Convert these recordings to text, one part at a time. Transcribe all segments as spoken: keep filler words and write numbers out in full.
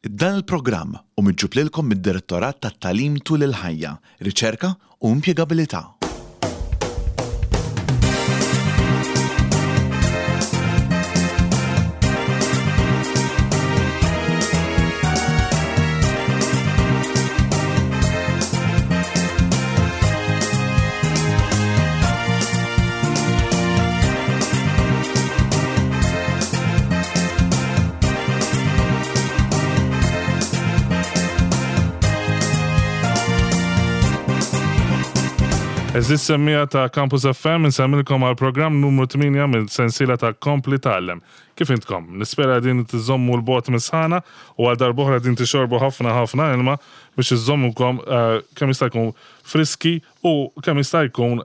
Dan il-programm hu miġjub lilkom mid-Direttorat tat-Tagħlim tul il-ħajja, Riċerka u Impjegabilità. Għeżież semmiegħa ta' Campus F M, insellmilkom għal programm numru tmienja minn sensiela ta' Kompli Tgħallem. Kif intkom? Nispera din tiżommu 'l bogħod mis-sħana u għal darb'oħra din tixorbu ħafna ħafna ilma biex iżommukom eh, kemm jista' jkun friski u kemm jista' jkun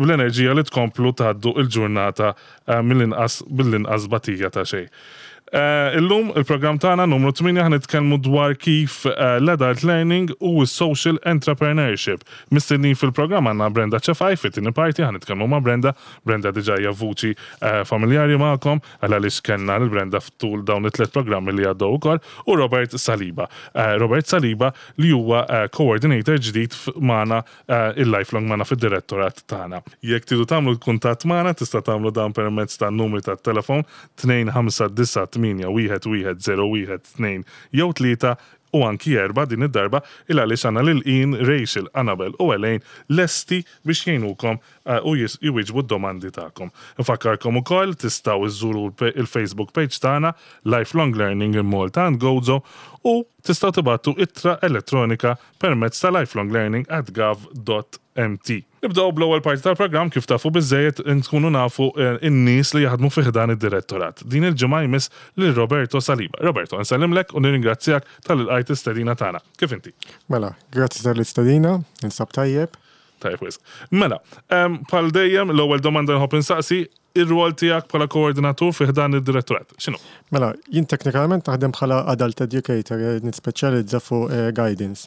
bl-enerġija li tkomplu tgħaddu il-ġurnata eh, mill-inqas bil-inqas batija ta' xejn. Eh, illum il-programm tagħna numru tmienja ħa nitkellmu dwar kif eh, l-adult learning u s-social entrepreneurship. Mistednin fil-programm għandna Brenda Ċefaj, fit-tieni parti ħa nitkellmu ma' Brenda. Brenda diġà hija vuċi eh, familjari magħkom għal għaliex kellna lil Brenda ftul dawn it-tliet programmi li għaddew ukoll u Robert Saliba. Robert Saliba li huwa coordinator ġdid magħna il-lifelong magħna fid-direttorat tagħna. Jekk tridu tagħmlu kuntatt magħna, tista' tagħmlu dan permezz ta' numri tat-telefon tnejn ħamsa disgħa tmienja wieħed wieħed żero wieħed tnejn jew tlieta u anki erba' din id-darba, il għaliex għandna lil Ian, Rachel, Annabel u Elaine lesti biex jgħinukom eh, u jwieġbu d-domandi tagħkom. Nfakkarkom ukoll tistgħu iżżuru il-Facebook page tagħna Lifelong Learning in Malta and Gozo u tistgħu tibagħtu ittra elettronika permezz ta' lifelonglearning at gov dot M T. Nibdew bl-ewwel parti tal-programm. Kif tafu biżejjed, nkunu nafu eh, in-nies li jaħdmu fi ħdan id-direttorat. Din il-ġimgħa jmiss lil Roberto Saliba. Roberto, nsellimlek u nirringrazzjak talli lqajt l-istedina tagħna. Kif inti? Mela, grazzi tal-istedina, ninsab tajjeb. Tajjeb wisq. Mela, bħal dejjem, l-ewwel domanda nħobb insaqsi, ir-rwol tiegħek bħala koordinatur fi ħdan id-direttorat. X'inhu? Mela, jien teknikament naħdem bħala adult educator, eh, nispeċjalizza fuq eh, guidance.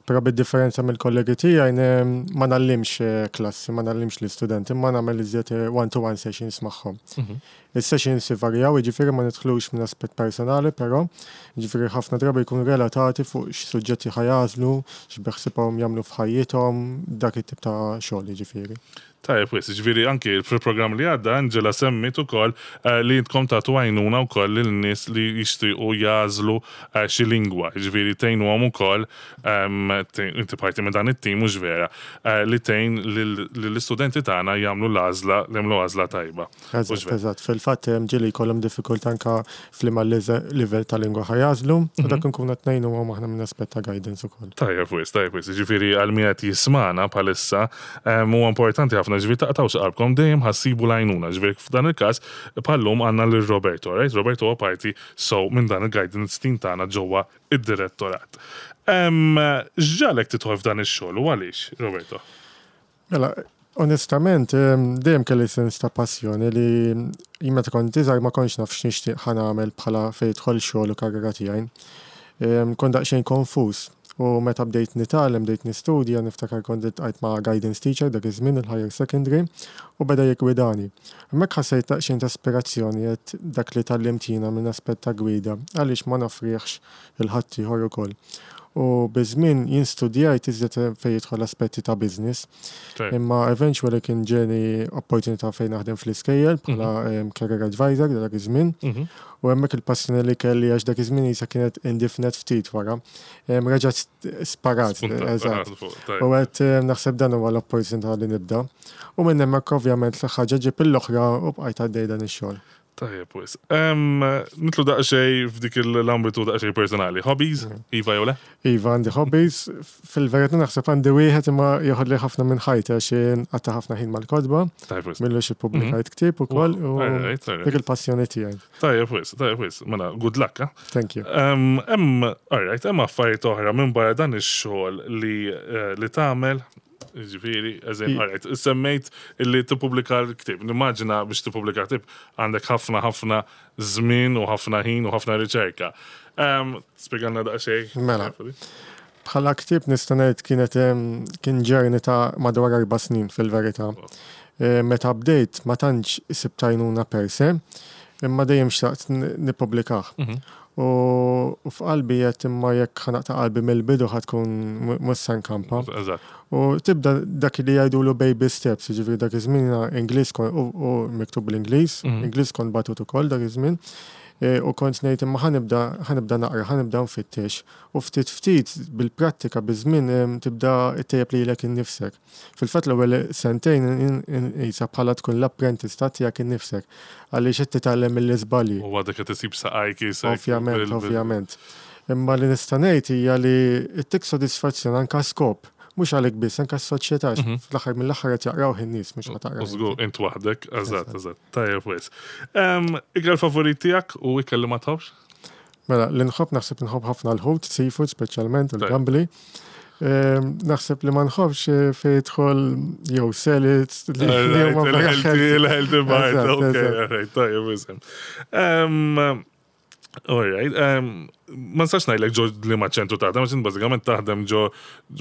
Però bid-differenza mill-kollegi tiegħi ma ngħallimx eh, klassi, ma ngħallimx l-istudenti, ma nagħmel iżjed one-to-one sessions magħhom. Mhm. Is-sessions varjaw, jiġifieri ma nidħlux minn aspett personali, però jiġifieri ħafna drabi jkunu relatati fuq x'suġġetti ħa jagħżlu, x'beħsiebhom jagħmlu f'ħajjithom, dak it-tip ta' xogħol jiġifieri. Tajjeb, wisq, ġifieri anki fil-programm li għadda Angela semmit ukoll eh, li intkom tagħtu għajnuna wkoll lil nies li jixtiequ jagħżlu eh, xi lingwa, ġifieri tgħinuhom ukoll, inti parti minn dan it-tim, mhux vera, eh, li tgħin lill-istudenti tagħna jagħmlu l-għażla, jagħmlu għażla tajba. Eżatt, eżatt. Fil-fatt ġieli jkollhom diffikultà anka f'liema livell ta' lingwa ħa jagħżlu, u dak mhm. nkunu qed ngħinuhom aħna minn aspett ta' guidance ukoll. Tajjeb wisq, tajjeb wisq. Ġifieri għal min qed jismagħna bħalissa huwa importanti ħafna, ġifieri taqtgħux qalbkom, dejjem ħa ssibu l-għajnuna. Ġifieri f'dan il-każ bħal-lum għandna lil Roberto, right? Roberto huwa parti so minn dan il-guidance team tagħna ġewwa id-direttorat. X'ġagħlek tidħol f'dan ix-xogħol u għaliex, Roberto? Mela, onestament, dejjem kelli sens ta' passjoni li jien meta kont iżgħar ma kontx naf x'nixtieq ħa nagħmel bħala fejn jidħol xogħol u karriera tiegħi. Kont daqsxejn konfuż. U meta bdejt nitgħallem, bdejt nistudja, niftakar kont iltqajt ma' guidance teacher dak iż-żmien il-higher secondary u beda jiggwidani. Hemmhekk ħassejt daqsxejn ta' aspirazzjoni, għedt dak li tgħallimt jiena minn aspett ta' gwida, għaliex ma noffrihx lil ħaddieħor ukoll? U biż-żmien jien studjajt iżjed fejn jidħol aspetti ta' business. Imma eventually kien ġieni opportunità fejn naħdem fl-iskejjel bħala mhm. career advisor dak iż-żmien. Mhm. U hemmhekk il-passjoni li kelli, għax dak iż-żmien jisa kienet indifnet ftit wara, reġgħet sparat. Eżatt. U għedt naħseb dan huwa l-opportunità li nibda. U minn hemmhekk ovvjament l-ħaġa ġib l-oħra u bqajt għaddej dan ix-xogħol. Tajjeb, wisq. Nidħlu daqsxejn f'dik l-ambitu daqsxejn personali. Hobbies? Mm. Iva jew le? Iva, għandi hobbies. Fil-verità naħseb għandi wieħed imma joħodli ħafna minn ħajti għax nqatta' ħafna ħin mal-kotba. Tajjeb, wisq. M'ilux ippubblikajt mhm. ktieb ukoll u dik il-passjoni tiegħi. Tajjeb, wisq, tajjeb, wisq. Mela, good luck, eh? Thank you. Hemm, alright, hemm affarijiet oħra minn barra dan ix-xogħol li eh, li tagħmel? Ġifieri, eżem, alright, semmejt illi tippubblika l-ktib. Nimmaġina biex tippubblika ktib għandek ħafna ħafna żmien u ħafna ħin u ħafna riċerka. Spjegalna daqsxejn. Mela. Bħala ktieb nista' ngħid kienet kien journey ta' madwar erba' snin fil-verità. E, meta bdejt ma tantx sibt għajnuna per se, imma dejjem xtaqt nippubblikah. Mhm. U u f'qalbi qed imma jekk ħa naqta' qalbi mill-bidu ħa tkun mhux se nkampa. Eżatt. U tibda dak li jgħidulu baby steps, jiġifieri dak iż-żmien Ingliż kon u u miktub bl-Ingliż, Mhm. Ingliż kont batut ukoll dak iż-żmien. E, U kont ngħid imma ħa nibda ħa nibda naqra, ħa nibda nfittex. U ftit ftit bil-prattika biż-żmien em, tibda ttejjeb lilek innifsek. Fil-fatt l-ewwel sentejn qisha bħala tkun l-apprentista tiegħek innifsek għaliex qed titgħallem mill-iżbalji. U għadek qed isib saqajk isek. Ovvjament, bil- bil- ovvjament. Imma li nista' ngħid hija li ttik sodisfazzjon anka skop, mhux għalik biss, anka s-soċjetà, Mhm. fl-aħħar mill-aħħar qed jaqraw in-nies mhux ħa taqra. U żgur, int waħdek, eżatt, eżatt. Tajjeb wis. Em, Ikel favorit tiegħek u ikel li ma tħobbx? Mela, li nħobb naħseb nħobb ħafna l-ħut, seafood speċjalment, u Tajjeb. l-gambli. Ehm, Naħseb li ma nħobbx eh, fejn jidħol jew salads li li huma vera Il-healthy, healthy. il-healthy part, Eżatt, ok, eżatt. alright, tajjeb wisem. Em, Alright, um, ma nistax ngħidlek ġo li ma ċentru taħdem, għax int bażikament taħdem ġo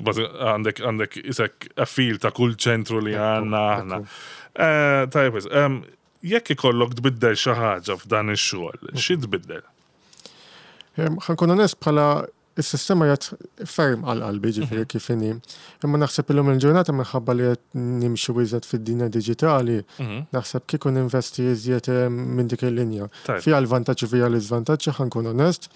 bażi- għandek għandek isek a feel ta' kull ċentru li għandna aħna. Eh, Tajjeb wis, em, jekk ikollok tbiddel xi ħaġa f'dan ix-xogħol, xi tbiddel? Ehm, Ħa nkun onest bħala is-sistema jgħat ferm għal qalbi ġifieri kif inhi. Imma naħseb illum il-ġurnata minħabba li qed nimxu iżjed fid-dinja diġitali, naħseb kieku ninvesti iżjed eh, minn dik il-linja. Tajjeb. Fiha l-vantaġġi fiha l-iżvantaġġi ħa nkun onest,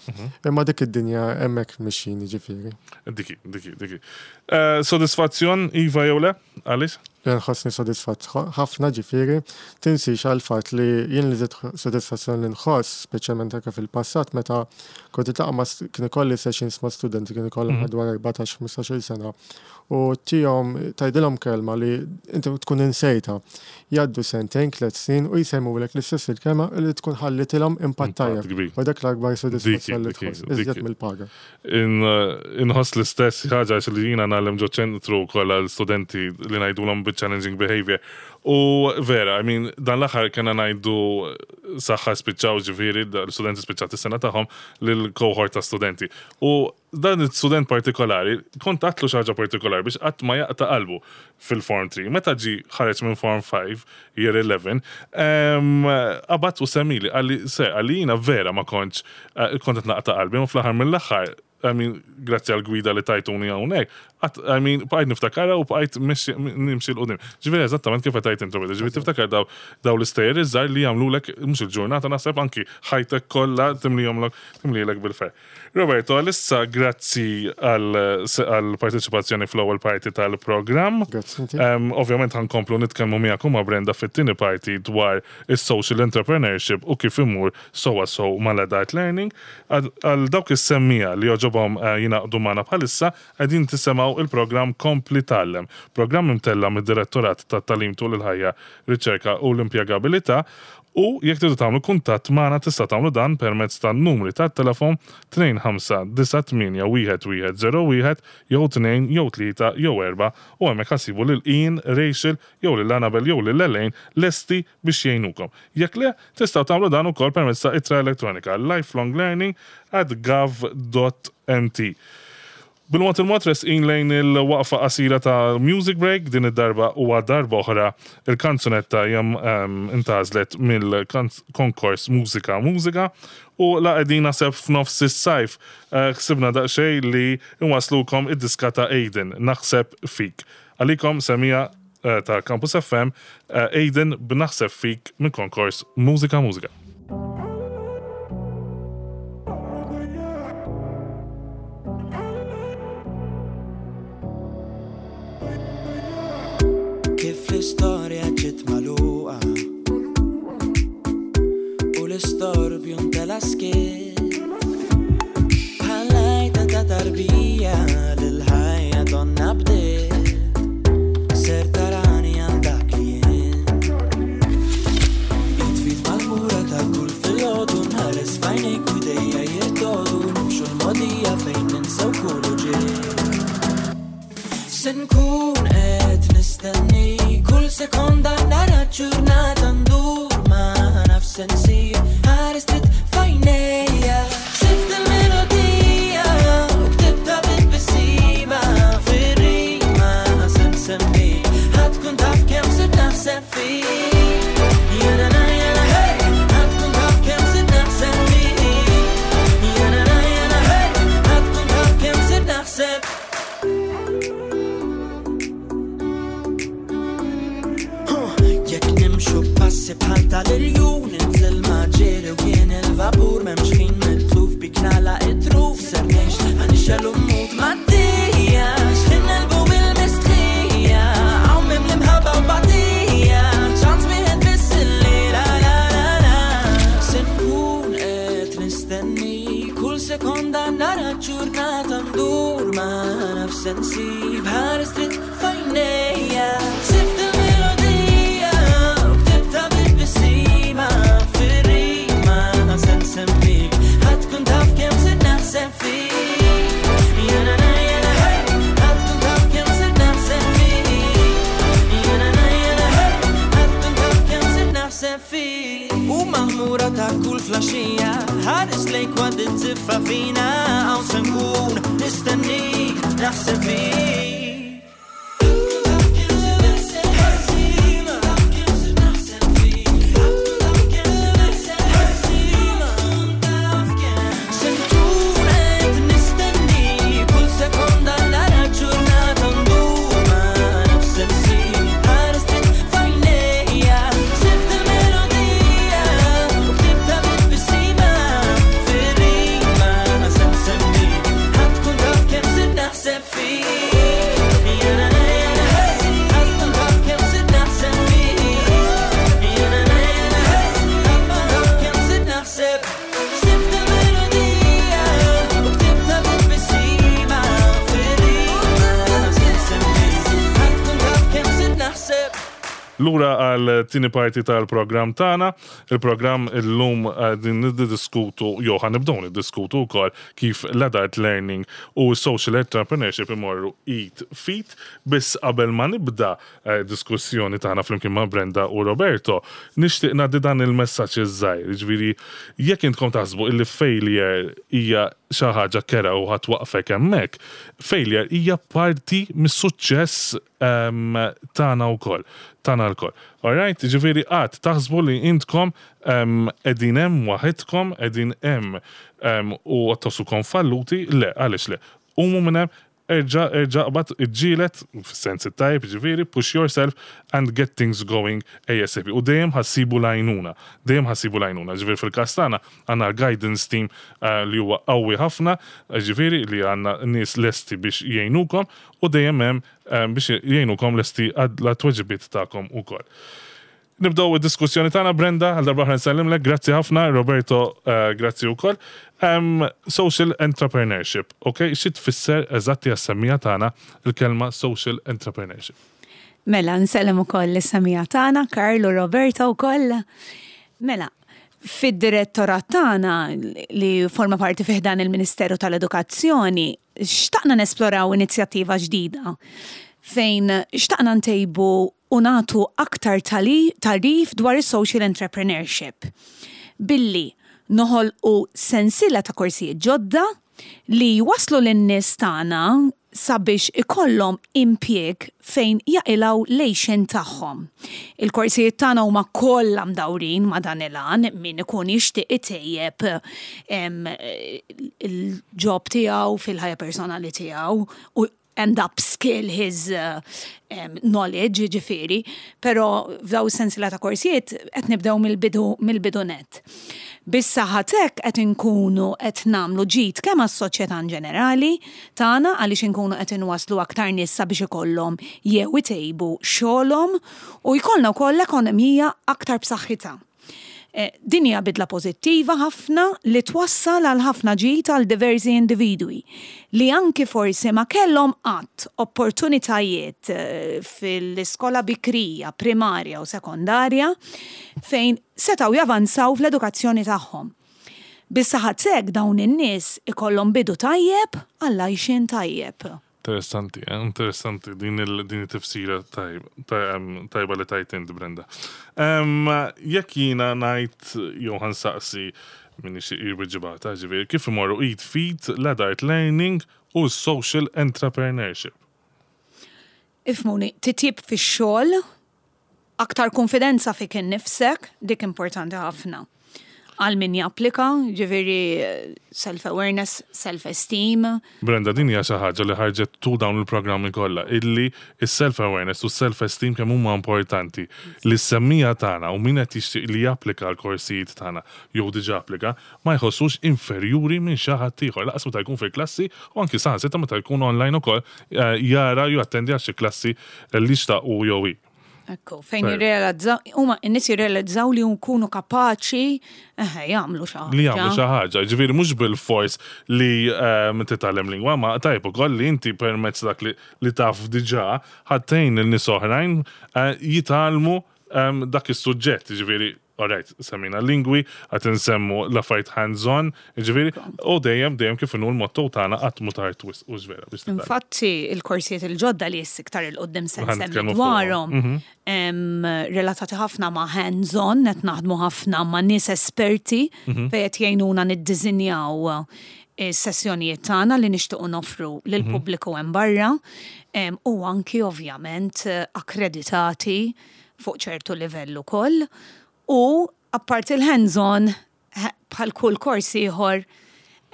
imma dik id-dinja hemmhekk mixjin ġifieri. Diki, diki, diki. Eh, Sodisfazzjon, Iva jew le? Għaliex? Li nħossni sodisfatt ħafna ġifieri, tinsix għal fatt li jien li żied sodisfazzjon li nħoss, speċjalment anke fil-passat, meta kont iltaqa' ma' st- kien ikolli sessions ma' studenti kien ikollhom Mhm. madwar erbatax ħmistax-il sena. U tihom tgħidilhom kelma li inti tkun insejta. Jgħaddu sentejn, tliet snin u jsemmulek l-istess il-kelma li tkun ħallitilhom impatt Impatt tajjeb. kbir. U dak l-akbar sodisfazzjon li Diki, tħoss, diki, iżjed diki. mill-paga. In, eh, Inħoss l-istess ħaġa għax li jiena ngħallem ġo ċentru kollha l-studenti li ngħidulhom challenging behavior. U vera, I mean, dan l-aħħar kena ngħidu saħħa spiċċaw ġifieri, l-studenti spiċċat is-sena tagħhom lil-cohort ta' studenti. U dan il-student partikolari, kont għedtlu xi ħaġa partikolari biex qatt ma jaqta' qalbu fil-Form three. Meta ġi ħareġ minn Form five, year eleven, qabad u semmili, qalli, se, qalli jiena vera ma kontx, eh, kont qed naqta' qalbi, ma fl-aħħar mill-aħħar, I mean, grazzi għal gwida li tajtuni hawnhekk, I mean, bqajt niftakarha u bqajt nimxi 'l quddiem. Ġifieri eżattament kif qed intu beda, ġifieri tiftakar daw daw l-istejjer iż-żgħar li jagħmlulek mhux il-ġurnata naħseb anki ħajtek kollha timlihomlok timlilek bil-ferħ. Roberto, għalissa grazzi għal parteċipazzjoni fl-ewwel parti tal-programm. Grazzi inti. Um, Ovvjament ħa nkomplu nitkellmu miegħek u ma' Brenda fit-tieni parti dwar is-social entrepreneurship u kif imur sowa sow mal-adult learning. Għal dawk is-semmiegħa li jogħġobhom uh, jingħaqdu magħna bħalissa qegħdin tisimgħu il-programm Kompli Tgħallem. Programm imtella mid-Direttorat tat-Tagħlim tul il-ħajja, Riċerka u l-Impjegabilità. U jekk tridu tagħmlu kuntatt magħna tista' tagħmlu dan permezz tan-numri tat-telefon tnejn ħamsa disa' tmienja wieħed wieħed żero wieħed jew tnejn jew tlieta jew erba' u hemmhekk ħa ssibu lil Ian, Rachel jew lil Annabel jew lil Elaine lesti biex jgħinukom. Jekk le, tistgħu tagħmlu dan ukoll permezz ta' ittra elettronika lifelonglearning at gov dot M T. Bil-mod il-mod resqin lejn il-waqfa qasira ta' Music Break, din id-darba u darba oħra il-kanzunetta jam um, intgħażlet mill-konkors Mużika Mużika u la qegħdin naħseb f'nofs is-sajf eh, ħsibna daqsxejn li nwaslukom id-diska ta' Aiden, Naħseb Fik. Għalikom semmiegħa eh, ta' Campus F M, eh, Aiden b'Naħseb Fik minn konkors Mużika Mużika. Kif l-istorja ġiet magħluqa u l-istorbju ntela skiet bħal-għajta ta' tarbija l-ħajja donna bdiet ser tarani għal dak li jien Jitfit mal-mura ta' kull filgħodu nħares f'għajnejk u idejja jirtogħdu nimxu l-mogħdija fejn ninsew kull uġigħ. Se nkun qed nistenni kull sekonda nara ġurnata ndur ma naf se nsir ħares trid f'għajnejja Sift il-melodija u ktibta bit-tbissima fir-rima se nsemmi ħa tkun taf kemm sirt naħseb fik. Jena na jena hey ħa tkun taf kemm sirt naħseb fik. Sekonda nara ġurnata ndur ma nafx se nsib ħares dritt f'għajnejja. Sift il-melodija u ktibtha bit-tbissima fir-rima se nsemmik ħa tkun taf kemm sirt naħseb fik. Jena na jena hey, ħa tkun taf kemm sirt naħseb fik. Jena na jena hey, ħa tkun taf kemm sirt naħseb fik. U maħmura ta' kull filgħaxija ħares lejk waqt it-tiffa fina hawn se nkun nistennik naħseb fik. Se nkun qed nistenni kull sekonda nara ġurnata ndur ma nafx se nsib ħares dritt f'għajnejja. Sift il-melodija u ktibtha bit-tbissima fir-rima se nsemmik ħa tkun taf kemm sirt naħseb fik. Jena na jena hey, ħa tkun taf kemm sirt naħseb fik. Jena na jena hey, ħa tkun taf kemm sirt naħseb. Sift il-melodija u ktibtha bit-tbissima fir-rima se nsemmik ħa tkun taf kemm sirt naħseb. Lura għal tieni parti tal-programm tagħna, il-programm illum din niddiskutu, jew ħa nibdew niddiskutu wkoll kif l-adult learning u social entrepreneurship imorru id f'id, biss qabel ma nibda eh, diskussjoni tagħna flimkien ma' Brenda u Roberto, nixtieq ngħaddi dan il-messaġġ iż-żgħir, jiġifieri jekk intkom taħsbu illi failure hija xi ħaġa kerha u ħa twaqqfek hemmhekk, failure hija parti mis-suċċess um, tagħna wkoll, tagħna lkoll. Alright, ġifieri qatt taħsbu li intkom um, qegħdin hemm waħedkom, qegħdin hemm um, u tħossukom falluti, le, għaliex le. Qumu minn hemm, erġa' erġa' qbad iġġieled, fis-sens it-tajb, ġifieri, push yourself and get things going ASAP. U dejjem ħa ssibu l-għajnuna, dejjem ħa ssibu l-għajnuna. Ġifieri fil-każ tagħna għandna l-guidance team uh, li huwa qawwi ħafna, ġifieri li għandna nies lesti biex jgħinukom u dejjem hemm um, biex jgħinukom lesti għat-tweġibiet tagħkom ukoll. Nibdew id-diskussjoni tagħna Brenda, għal darba oħra nsellimlek, grazzi ħafna, Roberto, uh, grazzi wkoll. Um, social entrepreneurship, ok? Xi tfisser eżatti għas-semmiegħa tagħna il-kelma social entrepreneurship? Mela, nsellem ukoll is-semmiegħa tagħna, Karl u Roberto wkoll. Mela, fid-direttorat tagħna li forma parti fih dan il-Ministeru tal-Edukazzjoni, xtaqna nesploraw inizjattiva ġdida fejn xtaqna ntejbu u nagħtu aktar tali- tagħrif dwar is-social entrepreneurship. Billi noħolqu sensiela ta' korsijiet ġodda li waslu lin-nies tagħna sabiex ikollhom impjieg fejn jaqilgħu l-għixien tagħhom. Il-korsijiet tagħna huma kollha mdawrin ma' dan il-għan min ikun jixtieq itejjeb em, il-job tiegħu fil-ħajja personali tiegħu u and upskill his uh, um, knowledge, ġifieri, pero f'daw sensiela ta' korsijiet qed nibdew mill-bidu mill-bidu net. Bis-saħħa t'hekk qed inkunu qed nagħmlu ġid kemm għas-soċjetà in ġenerali tagħna għaliex inkunu qed inwaslu aktar nies sabiex ikollhom jew itejbu xogħolhom u jkollna wkoll ekonomija aktar b'saħħitha. Eh, Din hija bidla pożittiva ħafna li twassal għal ħafna ġid għal diversi individwi li anki forsi ma kellhom qatt opportunitajiet eh, fil-iskola bikrija, primarja u sekondarja fejn setgħu javanzaw fl-edukazzjoni tagħhom. Bis-saħħa t'hekk dawn in-nies ikollhom bidu tajjeb għall-għajxien tajjeb. Interessanti, eh? Interessanti din il din it-tifsira tajb, taj- tajba li tajt int, Brenda. Um, jekk jiena ngħid jew ħa nsaqsi min ixi jirbiġibata, ġifieri, kif imorru id f'id l-adult learning u social entrepreneurship. Ifhmuni, titjib fix-xogħol, aktar konfidenza fik innifsek, dik importanti ħafna. Għal min japplika, ġifieri self-awareness, self-esteem. Brenda, din hija xi ħaġa li ħarġet tul dawn il-programmi kollha, illi is-self-awareness u self-esteem kemm huma importanti. Li s-semmiegħa tagħna u min qed jixtieq li japplika l-korsijiet tagħna jew diġà applika, ma jħossux inferjuri minn xi ħadd ieħor. Lanqas meta jkun fil-klassi u anki saħansitra meta jkun online ukoll eh, jara jew jattendi għal xi klassi li xtaq u jew hi. Ekku, fejn jirrealizzaw, huma n-nies jirrealizzaw li jkunu kapaċi eħe, jagħmlu xi ħaġa. Li jagħmlu xi ħaġa, ġifieri mhux bil-fors li ehm, titgħallem lingwa, ma tajb ukoll li inti permezz dak li, li taf diġà ħa tgħin lil nies oħrajn eh, jitgħallmu ehm, dak is-suġġett, ġifieri alright, semmina lingwi, qed insemmu l-affarijiet hands-on, ġifieri, u dejjem dejjem kif inhu l-motto tagħna qatt mhu tard wisq u vera biex titgħallem. Infatti, il-korsijiet il-ġodda li iktar 'il quddiem se Ħa nsemmi nitkellmu dwarhom fuqhom. em, relatati ħafna ma' hands-on, qed naħdmu ħafna ma' nies esperti fejn qed jgħinuna niddisinjaw is-sessjonijiet tagħna li nixtiequ noffru lill-pubbliku hemm barra em, u anki ovvjament akkreditati fuq ċertu livell ukoll. U apparti il-hands-on, he- bħal kull kors ieħor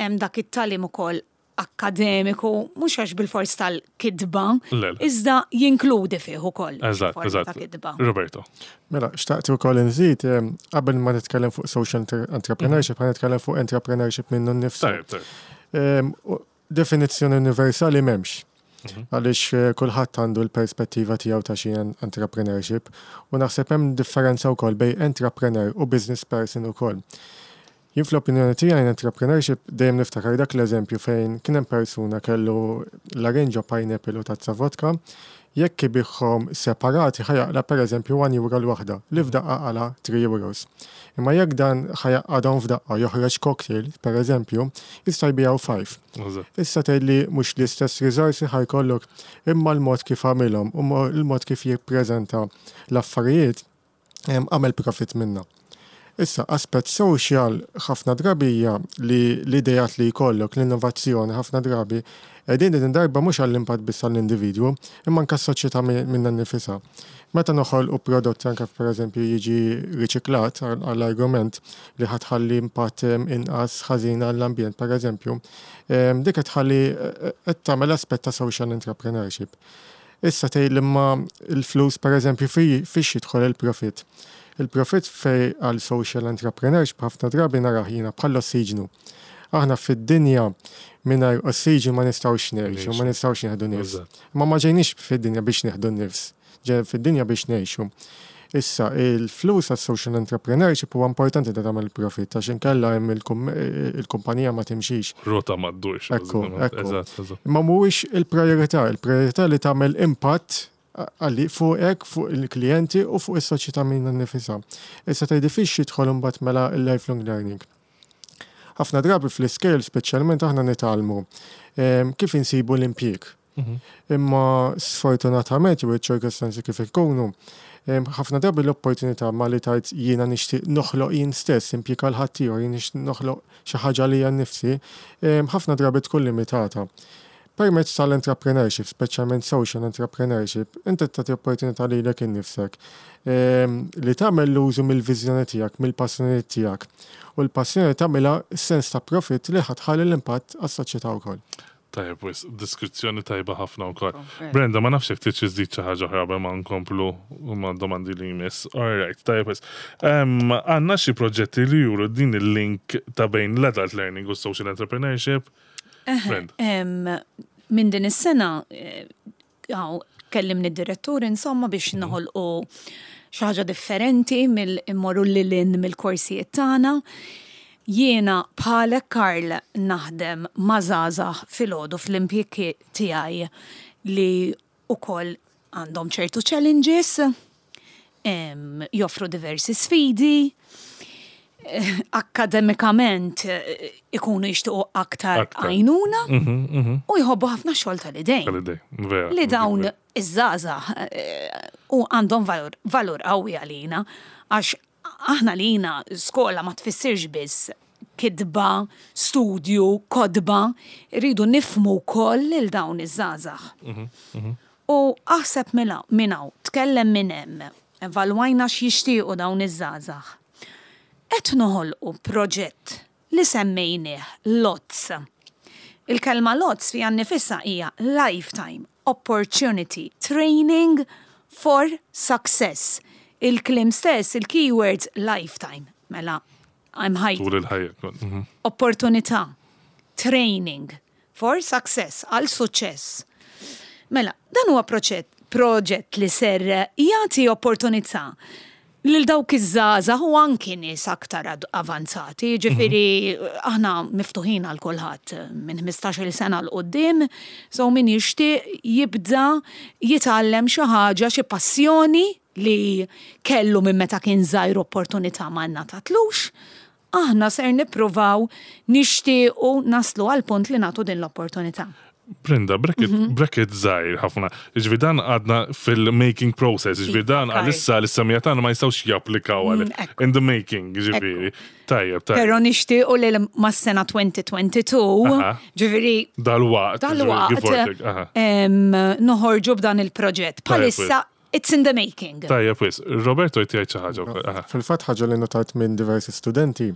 hemm dak it-tagħlim ukoll akkademiku, mhux għax bil-fors tal-kitba, Le, le. iżda jinkludi fih ukoll. Eżatt, forma eżatt. ta' kitba. Roberto. Mela, xtaqt ukoll nżid, em, qabel ma nitkellem fuq social enter- entrepreneurship, ħa nitkellem fuq entrepreneurship minnu nnifsu. Tajb, tajb. Em, u Definizzjoni universali m'hemmx. Għaliex eh, kulħadd għandu l-perspettiva tiegħu ta' xi entrepreneurship u naħseb hemm differenza wkoll bejn entrepreneur u business person ukoll. Jien fl-opinjoni tiegħi entrepreneurship dejjem niftakar dak l-eżempju fejn kien hemm persuna kellu larinġa pineapple u tazza vodka, jekk ibigħhom separati ħa jaqla' pereżempju one euro l-waħda, li f'daqqa qala' three euros. Imma jekk dan ħa jgħaqqadhom f'daqqa joħroġ cocktail, pereżempju, jista' jbigħu five. Eżatt. Issa tgħidli mhux l-istess riżorsi ħa jkollok imma l-mod kif għamilhom u mo- l-mod kif jippreżenta l-affarijiet em, għamel profit minna. Issa, aspett social ħafna drabi hija li l-idejat li jkollok, l-innovazzjoni ħafna drabi, qegħdin din darba mhux għall-impatt biss għall-individwu, imma anke s-soċjetà mi- minna nnifisha. Meta noħolqu prodotti anke pereżempju jiġi riċiklat għall- għall-argument li ħa tħalli impatt em, inqas ħażin għall-ambjent, pereżempju, em, dik qed tħalli eh, qed tagħmel aspett ta' social entrepreneurship. Issa tgħid imma l-flus pereżempju fi fiex jidħol il-profit. Il-profit fej għal social entrepreneurship ħafna drabi narah jiena bħal ossiġnu. Aħna fid-dinja mingħajr ossiġnu ma nistgħux ngħixu, ma nistgħux nieħdu nifs. Eżatt. Ma ma ġejniex fid-dinja biex nieħdu nifs, ġejna fid-dinja biex ngħixu. Issa, il-flus għas social entrepreneurship huwa importanti da tagħmel profit għax inkella hemm il-kum- il-kumpanija ma timxix. Rota ma ddurx. Ekku, ekku. Eżatt, eżatt. Imma mhuwiex il-priorità, il-priorità li tagħmel impatt għalli fuqek, fuq il-klijenti u fuq is-soċjetà minna nnifisha. Issa tgħidi fiex jidħol imbagħad mela il-lifelong learning. Ħafna drabi fl-iskejjel speċjalment aħna nitgħallmu em, kif insibu l-impjieg. Imma sfortunatament jew iċ-ċirkostanzi kif ikunu, em, ħafna drabi l-opportunità ma li tajt jiena nixtieq noħloq jien stess impjieg għal ħaddieħor, jien nixtieq noħloq xi ħaġa li nnifsi, em, ħafna drabi tkun limitata. Permezz tal-entrepreneurship, speċjalment social entrepreneurship, inti tagħti opportunità lilek innifsek em, li tagħmel l-użu mill-viżjoni tiegħek, mill-passjoni tiegħek. U l-passjoni tagħmilha sens ta' profit li ħa tħalli l-impatt għas-soċjetà wkoll. Tajjeb, wis, diskrizzjoni tajba ħafna wkoll. Brenda, ma nafx jekk trid iżżid xi ħaġa oħra qabel ma nkomplu ma' domandi li jmiss. All right, tajjeb wis. Em, Għandna xi proġetti li juru din il-link ta' bejn l-adult learning u social entrepreneurship. Brenda. Em, Minn din is-sena, eh, għaw, kellimni d-direttur insomma biex noħolqu xi ħaġa differenti mill-immorru lil hinn mill-korsijiet tagħna. Jiena bħalek Karl naħdem ma' żgħażagħ filgħodu fl-impjieg tiegħi li ukoll għandhom ċertu challenges, em, joffru diversi sfidi, eh, akkademikament eh, ikunu jixtiequ aktar Aktar. għajnuna u jħobbu ħafna xogħol tal-idejn. Tal-idej, vera. Li dawn iż-żgħażagħ eh, u għandhom valur, valur qawwi għalina għax aħna lina skola ma tfissirx biss kitba, studju, kotba, rridu nifhmu wkoll lil dawn iż-żgħażagħ. U aħseb minn hawn, tkellem minn hemm, evalwajna x'jixtiequ dawn iż-żgħażagħ. Qed noħolqu proġett li semmejnieh LOTS. Il-kelma LOTS fiha nnifisha hija Lifetime Opportunity Training for Success. Il-kliem stess, il-keywords lifetime. Mela, I'm high. Tul il-ħajja. Mhm. Opportunità, training for success, għal suċċess. Mela, dan huwa proġett, Proġett li ser jagħti opportunità lil dawk iż-żgħażagħ u anki nies aktar ad- avanzati, ġifieri aħna miftuħin għal kulħadd minn ħmistax-il sena 'l quddiem, so min jixtieq jibda jitgħallem xi ħaġa, xi passjoni li kellu minn meta kien żgħir opportunità ma ngħatatlux, aħna ser nippruvaw nixtiequ naslu għal punt li nagħtu din l-opportunità. Brenda, bracket, Mhm. bracket żgħir ħafna. Ġifieri dan għadna fil-making process, ġifieri dan Iva, għalissa l-semmiegħa tagħna ma jistgħux japplikaw għal Mm, ekku. in the making, ġifieri. Tajjeb, tajjeb. Pero nixtiequ li mas-sena elfejn u tnejn u għoxrin, Aha. ġifieri Dal-waqt. ġifieri, give or dal-waqt take, aha. em, noħorġu b'dan il-proġett. Bħalissa it's in the making. Tajjeb, wis. Roberto jtijaj xi ħaġa wkoll, aha. Fil-fatt, ħaġa li notajt minn diversi studenti,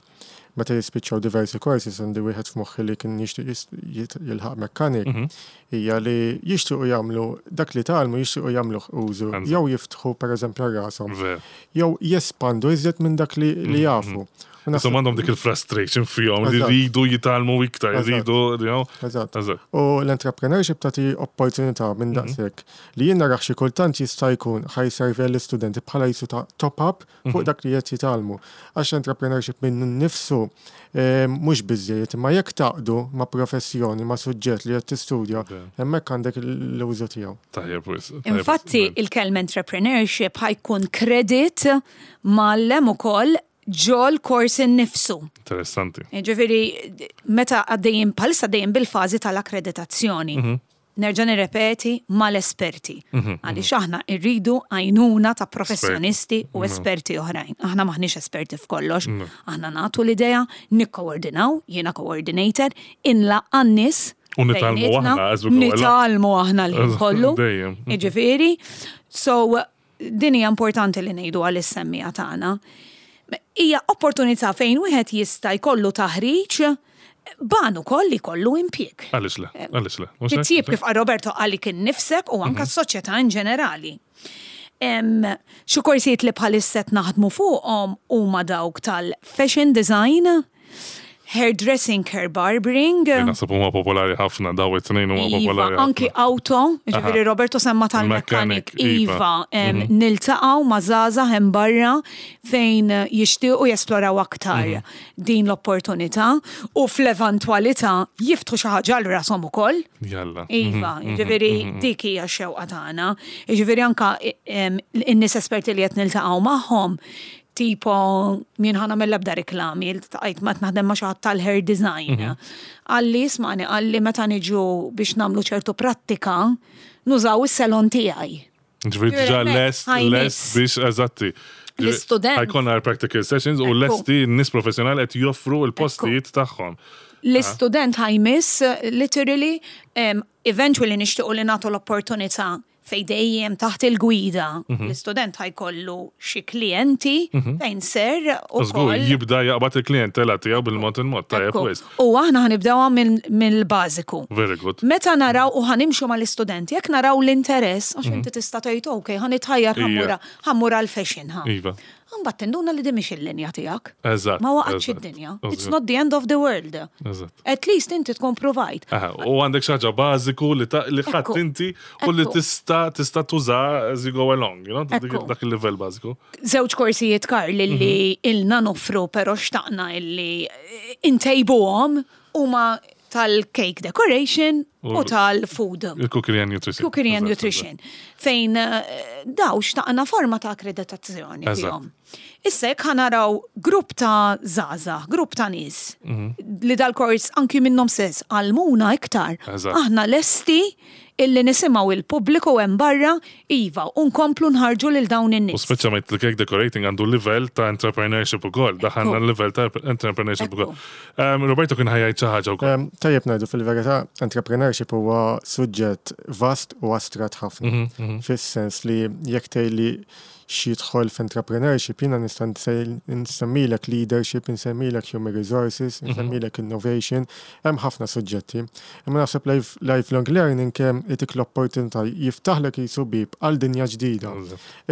meta jispiċċaw diversi courses, għandi wieħed f'moħħi li kien jixtieq jis- jit- jilħaq mechanic, Mhm. hija li jixtiequ jagħmlu dak li tgħallmu, jixtiequ jagħmluh użu, Eżatt. jew jiftħu pereżempju rashom, Ver. jew jespandu iżjed minn dak li li jafu. U naħseb- Insomma, għandhom dik il-frustration fihom li Eżatt. rridu jitgħallmu iktar, Eżatt. rridu, you know. Eżatt. Eżatt. U l-entrepreneurship tagħti opportunità minn daqshekk li jien narax xi kultant jista' jkun ħa jservi l-istudenti bħala jisu ta' top-up fuq dak li qed jitgħallmu. Għax entrepreneurship minn nifsu eh, mhux biżejjed, imma jekk tgħaqqdu ma' professjoni, ma' suġġett li qed tistudja, hemmhekk għandek l-użu tiegħu. Tajjeb, wis. Tajjeb, Infatti, wis. il-kelma entrepreneurship ħa jkun credit mgħallem ukoll ġol-kors innifsu. Interessanti. Ġifieri, meta għaddejjin bħalissa għaddejjin bil-fażi tal-akkreditazzjoni. Nerġa' nirrepeti, mal-esperti. Għaliex aħna rridu għajnuna ta' professjonisti u esperti oħrajn. Aħna maħniex esperti f'kollox. Aħna nagħtu l-idea, nikkoordinaw, jiena coordinator, inlaqqa' n-nies. U nitgħallmu bejnietna, aħna as we go along. Nitgħallmu aħna l kollu. Dejjem. Ġifieri, so din hija importanti li ngħidu għas-semmiegħa tagħna. Hija opportunità fejn wieħed jista' jkollu taħriġ ban ukoll li jkollu impjieg. Għaliex le, għaliex le. Mhux hekk? Titjib kif qal Roberto għalik innifsek u anka s-soċjetà in ġenerali. Em, Xi korsijiet li bħalissa qed naħdmu fuqhom huma dawk tal-fashion design, hairdressing, hair barbering, Li naħseb huma popolari ħafna, daw it-tnejn huma Iva, popolari anki ħafna. auto, ġifieri Roberto semma tal-mechanic, Mechanic, iva. Iva, em, niltaqgħu ma' żgħażagħ hemm barra fejn jixtiequ jesploraw aktar din l-opportunità u fl-eventwalità jiftħu xi ħaġa għal rashom ukoll. Jalla. Iva, ġifieri dik hija x-xewqa tagħna. Ġifieri anka em, in-nies esperti li qed niltaqgħu magħhom, tipo min ħana mill-ebda reklami, iltqajt ma naħdem ma' xi ħadd tal-hair design. Qalli, ismagħni, qalli meta niġu biex nagħmlu ċertu prattika, nużaw is-salon tiegħi. Ġifieri diġà lest, Ħajnis. lest biex, eżatti. L-istudent. Ħa jkollna practical sessions u Ekku. lesti n-nies professjonali qed joffru l-postijiet tagħhom. L-istudent ħa jmiss, literally, um, eventually nixtiequ li nagħtu l-opportunità fej dejjem taħt il-gwida. L-istudent ħa jkollu xi klijenti fejn ser U żgur ukoll. jibda jaqbad il-klientela tiegħu bil-mod il-mod. Tajjeb Ekku. wis. U aħna ħa nibdewha mill-bażiku. Very good. Meta naraw u ħa nimxu mal-istudenti, jekk naraw l-interess, għax inti tista' tgħid ok, ħa nitħajjar Ija. ħa mmur ħa mmur għal-fashion ħa. Iva. Mbagħad tinduna li di mhix il-linja tiegħek. Eżatt. Ma waqgħetx eżatt. id-dinja. Eżatt. It's not the end of the world. Eżatt. At least inti tkun provajt. Aha, u għandek xi ħaġa bażiku li ta' li ħadd Ekku. inti u li Ekku. tista' tista' tuża as you go along, you know, dik- Ekku. dak il-livell bażiku. Żewġ korsijiet, Karl, li ilna noffru pero xtaqna illi intejbuhom huma tal-cake decoration u U- tal-food. Il-cookery and nutrition. Cookery and Eżatt, nutrition. Fejn eh, daw xtaqna forma ta' akkreditazzjoni Eżatt. fihom. Issa jekk ħa naraw grupp ta' żgħażagħ, grupp ta' nies Mhm. li dal-kors anki minnhom stess għallmuna iktar. Eżatt. Aħna lesti illi nisimgħu il-pubbliku hemm barra, iva, u nkomplu nħarġu lil dawn U in-nies. speċjalment il-cake decorating għandu livell ta' entrepreneurship ukoll, daħalna livell ta' entrepreneurship Ekku. ukoll. Um, Roberto kien ħa jgħid xi ħaġa wkoll. Em, Tajjeb ngħidu, fil-verità, entrepreneurship huwa suġġett vast u astrat ħafna. Fis-sens li jekk tgħidli x'jidħol f'entrepreneurship, jiena nista' nsej- nsemmilek leadership, nsemmilek human resources, nsemmilek innovation, hemm ħafna suġġetti. Imma naħseb life- lifelong learning kemm Jtik l-opportunità, jiftaħlek qisu bieb għal dinja ġdida.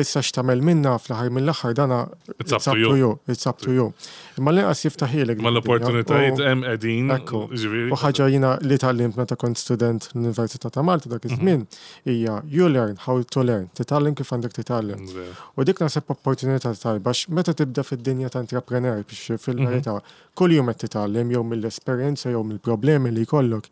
Issa x'tagħmel minna fl-aħħar mill-aħħar dana It's up to you. It's up to you. Imma l-inqas jiftaħilek. Ma din id-dinja. l-opportunitajiet U- hemm qegħdin. Ekku. Ġifieri. U ħaġa jiena li tgħallimt meta kont student l-Università ta' Malta dak iż-żmien hija you learn how to learn, titgħallem kif għandek titgħallem. U dik naħseb opportunità tajba għax meta tibda fid-dinja ta' entrepreneur biex fil-verità kull jum qed titgħallem jew mill-esperjenza jew mill-problemi li jkollok.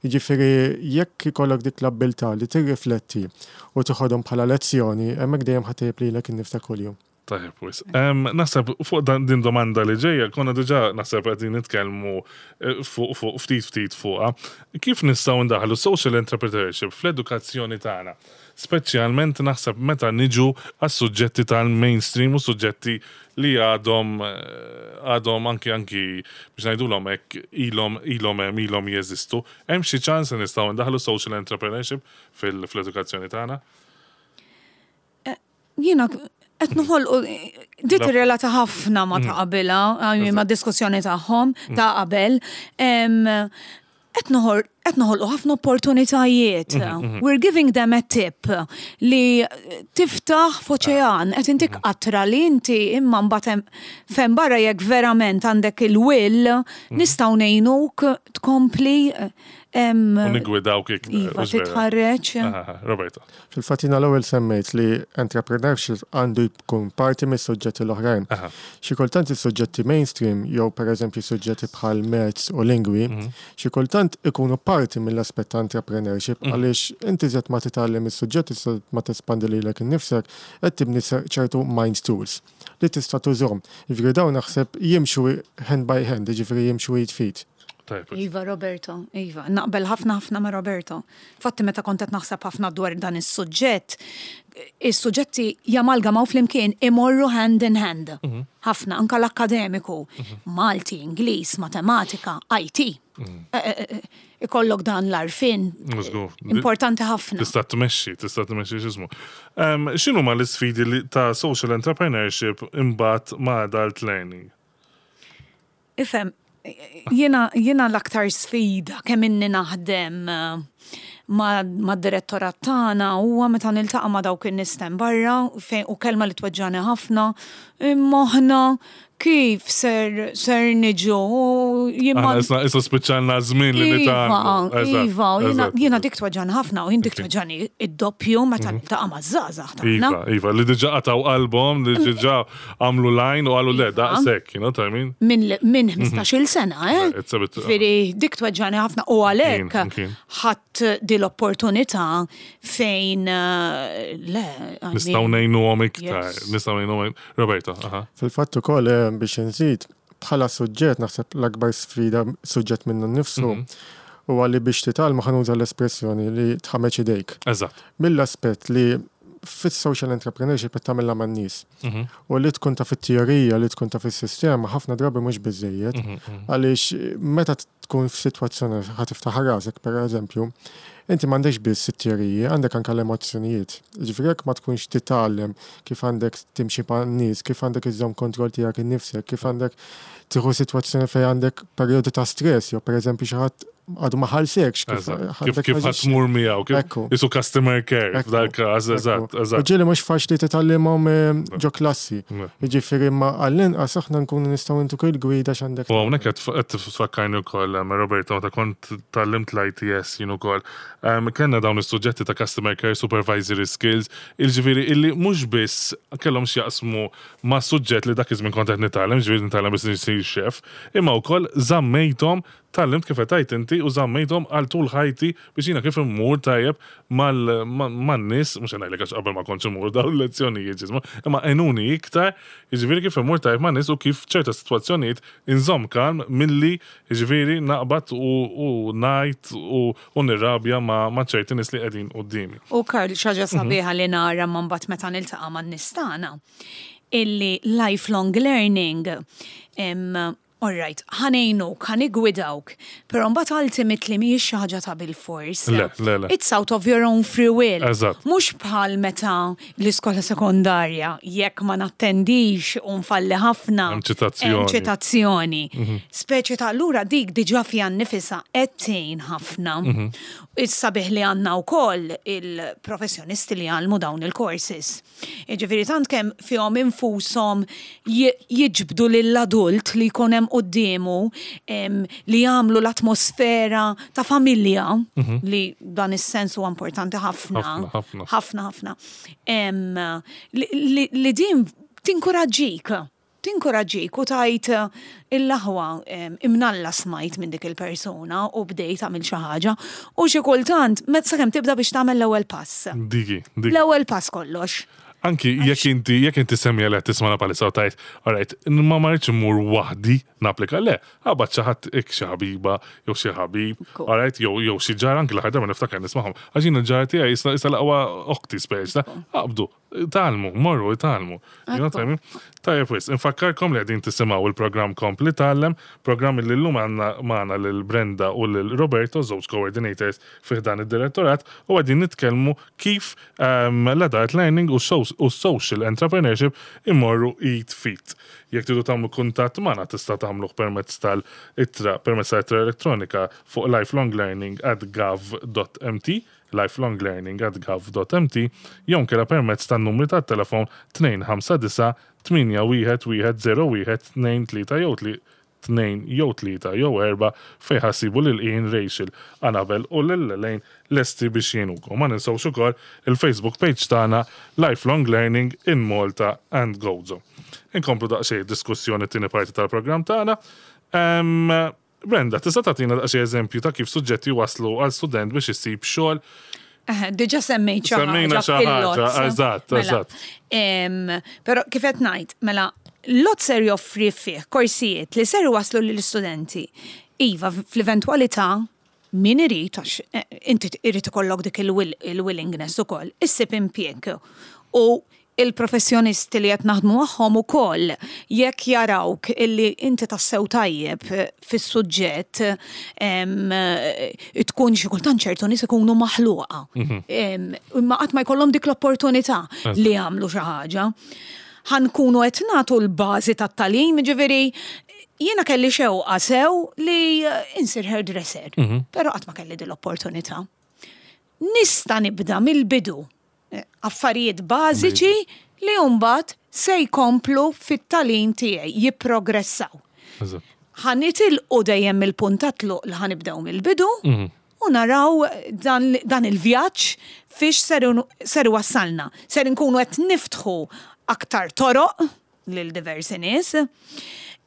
Jiġifieri jekk ikollok dik l-abbiltà li tirrifletti u toħodhom bħala lezzjoni, hemmhekk dejjem ħa ttejjeb lilek innifsek kuljum. Tajjeb, wisq. Em, Naħseb fuq dan din domanda li ġejja, konna diġà naħseb qegħdin nitkellmu eh, fuq fuq ftit ftit fuqha. Kif nistgħu ndaħlu social entrepreneurship fl-edukazzjoni tagħna? Speċjalment naħseb meta niġu għas-suġġetti tal-mainstream u suġġetti li għadhom eh, għadhom anki anki biex ngħidulhom hekk ilhom ilhom hemm ilhom jeżistu. Hemm xi ċans li nistgħu ndaħlu social entrepreneurship fil- fl-edukazzjoni tagħna? Jiena qed noħolqu di tirrelata ħafna ma ta' qabilha, I mean, ma' diskussjoni tagħhom ta' qabel. Em, Qed noħol qed noħolqu ħafna opportunitajiet. We're giving them a tip li tiftaħ f'oċean, qed intik qatra li inti imma mbagħad hemm- fejn barra jekk verament għandek il-will, nistgħu ngħinuk tkompli em, U nigwidawk iktar. Iva, hux vera? titħarreġ. Aha, Roberto. Fil-fatt jiena l-ewwel semmejt li entrepreneurship għandu jkun parti mis-suġġetti l-oħrajn. Aha. Xi kultant is-suġġetti mainstream jew pereżempju suġġetti bħal maths u lingwi, xi kultant ikunu parti mill-aspett ta' entrepreneurship għaliex inti żed ma titgħallem is-suġġetti żed ma tespandi lilek innifsek qed tibni ċertu mind tools li tista' tużhom. Jiġifieri dawn naħseb jimxu hand by hand, jiġifieri jimxu id f'id. Tajjeb. Iva, Roberto, Iva, naqbel ħafna ħafna ma' Roberto. Fatti meta kont qed naħseb ħafna dwar dan is-suġġett, is-suġġetti jamalgamaw flimkien imorru hand in hand. Ħafna, anka l-akkademiku, Malti, Ingliż, Matematika, I T. Eh, eh, eh, Ikollok dan l-għarfien. Żgur. Importanti ħafna. Tista' tmexxi, tista' tmexxi x'ismu. Um, X'inhu ma l-isfidi li ta' social entrepreneurship imbagħad ma' adult learning? Ifhem, jiena, jiena l-aktar sfida kemm inni naħdem eh, ma, ma direttorat tagħna huwa meta niltaqa' ma' dawk in-nies hemm barra fejn u kelma li tweġġani ħafna, imma aħna kif ser ser niġu jien ma- Aħna issa issa spiċċalna żmien li Iva, nitgħallmu. Eżatt, Iva, u jiena- eżatt, jiena eżatt. dik tweġġani ħafna u jien dik tweġġani id-doppju meta niltaqa' ma' żgħażagħ tagħna. Iva, Iva, li diġà qataw qalbhom, li diġà għamlu line u qalu le, Iva. daqshekk, you know what I mean? Minn min ħmistax-il sena, eh? It's a bit- Ġifieri, dik tweġġani ħafna u għalhekk Kien, kien. ħadd di l-opportunità fejn eh, le. I mean, Nistgħu ngħinuhom iktar, Yes. nistgħu ngħinuhom. Roberto, aha. Fil-fatt ukoll eh, biex nżid bħala suġġett naħseb l-akbar sfida suġġett minnu nnifsu huwa li biex titgħallmu, ħa nuża l-espressjoni li tħammeġ idejk. Eżatt. Mill-aspett li fis-social entrepreneurship qed tagħmilha man-nies. U li tkun ta' fit-teorija, li tkun ta' fis-sistema, ħafna drabi mhux biżejjed. Għaliex meta tkun f'sitwazzjoni ħa tiftaħ rasek pereżempju, inti m'għandekx biss it-teoriji, għandek anke l-emozzjonijiet. Ġifieri jekk ma tkunx titgħallem kif għandek timxi man-nies, kif għandek iżżomm kontroll tiegħek innifsek, kif għandek tieħu sitwazzjoni fejn għandek perjodu ta' stress, jew pereżempju xi ħadd għadu ma ħallsekx, kif Eżatt. Kif għandek kif taġixxi. ħa tmur miegħu, kif Ekku. qisu customer care Ekku, f'dal każ, eżatt, Ekku. U eżatt. ġieli mhux faċli titgħallimhom eh, ġo klassi. Ne. Jiġifieri ma għall-inqas aħna nkunu nistgħu ntuk il-gwida x'għandek. U hawnhekk qed qed tfakkarni wkoll em, Roberto, meta kont tgħallimt l-I T S jien ukoll. Em, Kellna dawn is-suġġetti ta' customer care, supervisory skills, il-ġifieri illi mhux biss kellhom x'jaqsmu ma' suġġett li dak iż-żmien kont qed nitgħallem, ġifieri nitgħallem biex nisir chef, imma wkoll żammejthom, tgħallimt kif qed tgħid inti u żammejthom għal tul ħajti biex jiena kif immur tajjeb man-nies, mhux ngħidlek għax qabel ma kontx immur dawn il-lezzjonijiet ġismu, imma għenuni iktar, jiġifieri kif immur tajjeb man-nies u kif ċerta sitwazzjonijiet inżomm kalm milli jiġifieri naqbad u u ngħid u u nirrabja ma' ma' ċerti nies li qegħdin quddiemi. U Karl, xi ħaġa sabiħa li nara ma mbagħad meta niltaqa' man-nies tagħna illi lifelong learning em, All right, ħa ngħinuk, ħa niggwidawk, però mbagħad ultimately mhijiex xi ħaġa ta' bil-fors. Le, le, le. It's out of your own free will. Eżatt. Mhux bħal meta l-iskola sekondarja, jekk ma nattendix u nfalli ħafna. Hemm ċitazzjoni. Hemm ċitazzjoni. Speċi ta' allura dik diġà fiha nnifisha qed tgħin ħafna. Issa bih li għandna wkoll il-professjonisti li jgħallmu dawn il-courses. Jiġifieri tant kemm fihom infushom ji- jiġbdu lill-adult li jkun hemm quddiemu em, li jagħmlu l-atmosfera ta' familja li dan is-sens huwa importanti ħafna. Ħafna, ħafna. Ħafna, ħafna. Em, li, li, li din tinkoraġġik. Tinkoraġġik u tgħid il-laħwa em, imnalla smajt minn dik il-persuna u bdejt tagħmel xi ħaġa u xi kultant meta sakemm tibda biex tagħmel l-ewwel pass. Diki, diki. L-ewwel pass kollox. Anki jekk inti jekk inti semmija li qed tismana bħalissa u tgħid, alright, ma ma rridx immur waħdi napplika le, aqbad xi ħadd ik xi ħabiba jew xi ħabib, Cool. alright, jew jew xi ġar anki l-aħħar darba niftakar nismagħhom. Għax jien il-ġar tiegħi issa issa l-aqwa oħti speċi, aqbdu, tgħallmu, morru, tgħallmu. You know what I mean? Tajjeb wis, infakkarkom li qegħdin tisimgħu il-programm Kompli Tgħallem, programm li llum għandna magħna lil Brenda u lil Roberto, żewġ coordinators fih dan id-direttorat, u qegħdin nitkellmu kif um, l-adult learning u so- u social entrepreneurship imorru id f'id. Jekk tridu tagħmlu kuntatt magħna tista' tagħmluh permezz tal-ittra permezz tal-ittra elettronika fuq lifelonglearning at gov dot M T, lifelonglearning at gov dot M T, jew inkella permezz tan-numri tat-telefon tnejn ħamsa disa' tmienja wieħed wieħed żero wieħed tnejn tlieta jew tli tnejn jew tlieta jew erba' fejn ħa ssibu lil Ian, Rachel, Annabel u lil Elaine lesti biex jgħinukom. Ma ninsewx ukoll il-Facebook page tagħna Lifelong Learning in Malta and Gozo. Inkomplu daqsxejn diskussjoni t-tieni parti tal-programm tagħna. Em, Brenda, tista' tagħtina daqsxejn eżempju ta' kif suġġetti waslu għal student biex isib xogħol? Eh, Diġà semmejt xi Semmejna ħaġa xi ħaġa, fil-L O T S. Eżatt, Mela, eżatt. em, Però kif qed ngħid, mela l-L O T S ser joffri fih korsijiet li ser waslu lill-istudenti. Iva, fl-eventwalità min irid, għax eh, inti irid ikollok dik il-will- il-willingness ukoll, issib impjieg. U il-professjonisti li qed naħdmu magħhom ukoll jekk jarawk illi inti tassew tajjeb fis-suġġett em, tkun xi kultant ċertu nies ikunu maħluqa. Em, Imma qatt ma jkollhom dik l-opportunità li jagħmlu xi ħaġa. Ħa nkunu qed nagħtu l-bażi tat-tagħlim, ġifieri jiena kelli xewqa sew li insir hairdresser, però qatt ma kelli din l-opportunità. Nista' nibda mill-bidu eh, affarijiet bażiċi li mbagħad se jkomplu fit-tagħlim tiegħi, jipprogressaw. Eżatt. Ħa nitilqu dejjem mill-punt ta' tluq li ħa nibdew mill-bidu u naraw dan, dan il-vjaġġ fiex ser, ser wassalna. Ser nkunu qed niftħu aktar toroq lil diversi nies.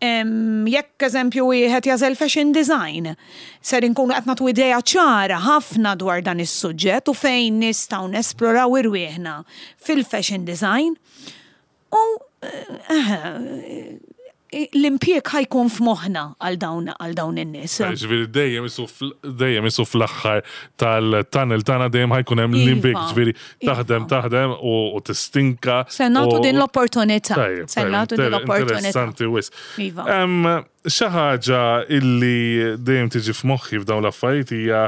Em, Jekk eżempju wieħed jagħżel fashion design, ser inkunu qed nagħtu idea ċara ħafna dwar dan is-suġġett u fejn nistgħu nesploraw irwieħna fil-fashion design. U eh, l-impjieg ħa jkun f'moħħna għal dawn għal dawn in-nies. Ġifieri dejjem isu fl- dejjem isu fl-aħħar tal-tunnel tagħna dejjem ħa jkun hemm Iva, l-impjieg, ġifieri taħdem iva. Taħdem u u tistinka. Se nagħtu u- din l-opportunità. Tajjeb, Se tajjeb, nagħtu din inter- l-opportunità. Interessanti wis. Iva. Em, Xi ħaġa illi dejjem tiġi f'moħħi f'dawn l-affarijiet hija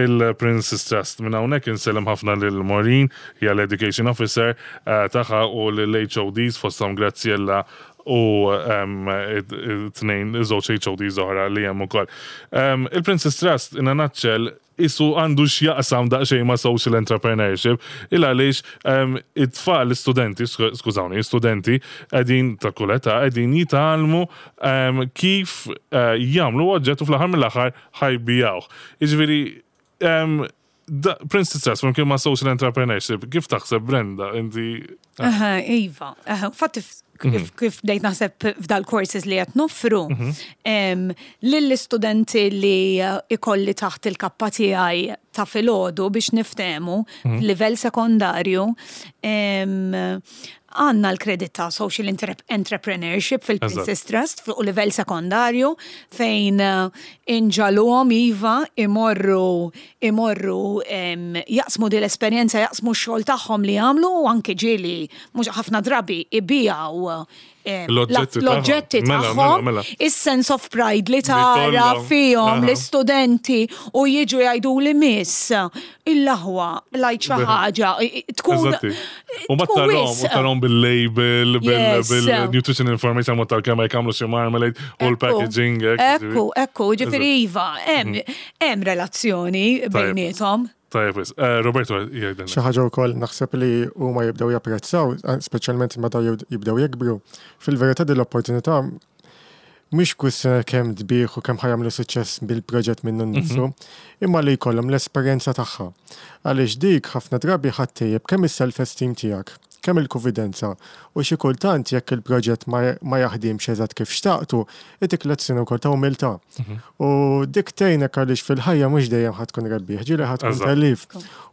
il-Prince's Trust. Minn hawnhekk insellem ħafna lil Maureen, hija l-Education Officer eh, tagħha u l-H O Ds fosthom Graziella u em, it- it- tnejn żewġ H O Ds oħra li hemm ukoll. Em, Il-Prince's Trust in a nutshell isu għandu x'jaqsam daqsxejn ma' social entrepreneurship, il għaliex um, it-tfal, l-studenti, sku- skużawni, studenti, qegħdin ta' kull età, qegħdin jitgħallmu um, kif uh, jagħmlu oġġett u fl-aħħar mill-aħħar ħa jbigħuh. Jiġifieri, um, da, Prince's Trust, flimkien ma' social entrepreneurship, kif taħseb, Brenda, inti? Aha, iva, aha, fatti kif, kif bdejt naħseb f'dal-courses li qed noffru, em, lill-istudenti li eh, ikolli taħt il-kappa tiegħi ta' filgħodu biex niftehmu f'livell sekondarju, em, għandna l-kredit ta' social Entrep- entrepreneurship fil-Prince's Trust fuq livell sekondarju fejn eh, inġagħluhom iva imorru imorru em, jaqsmu din l-esperjenza, jaqsmu x-xogħol tagħhom li jagħmlu u anke ġieli mhux ħafna drabi ibigħu eh, L-oġġetti l-oġġetti tagħhom. Mela, mela, tagħhom, mela. is-sense of pride li tara kollhom. fihom Aha. l-istudenti u jiġu jgħidu li miss il-laħwa lajt xi ħaġa tkun Eżatti. U ma tkun tarahom, u wisq. tarahom bil-label, Yes. bil-nutrition information, ma tal-kemm jagħmlu xi marmalade u l-packaging. hekk, Ekku, ekku, ġifieri iva, hemm hemm relazzjoni bejniethom. Tajjeb, wis. Eh, Roberto, jgħidilna. Xi ħaġa wkoll naħseb li huma jibdew japprezzaw, speċjalment meta jibdew jikbru. Fil-verità din l-opportunità mhix kwistjoni kemm tbigħ u kemm ħa jagħmlu suċċess bil-proġett minnu nnifsu, imma li jkollhom l-esperjenza tagħha. Għaliex dik ħafna drabi ħa ttejjeb kemm is-self-esteem tiegħek, kemm il-konfidenza u xi kultant jekk il-proġett ma ma jaħdimx eżatt kif xtaqtu, itik lezzjoni wkoll ta' umiltà. U dik tgħinek għaliex fil-ħajja mhux dejjem ħa tkun rebbieħ, ġieli ħa tkun Eżatt. tellif.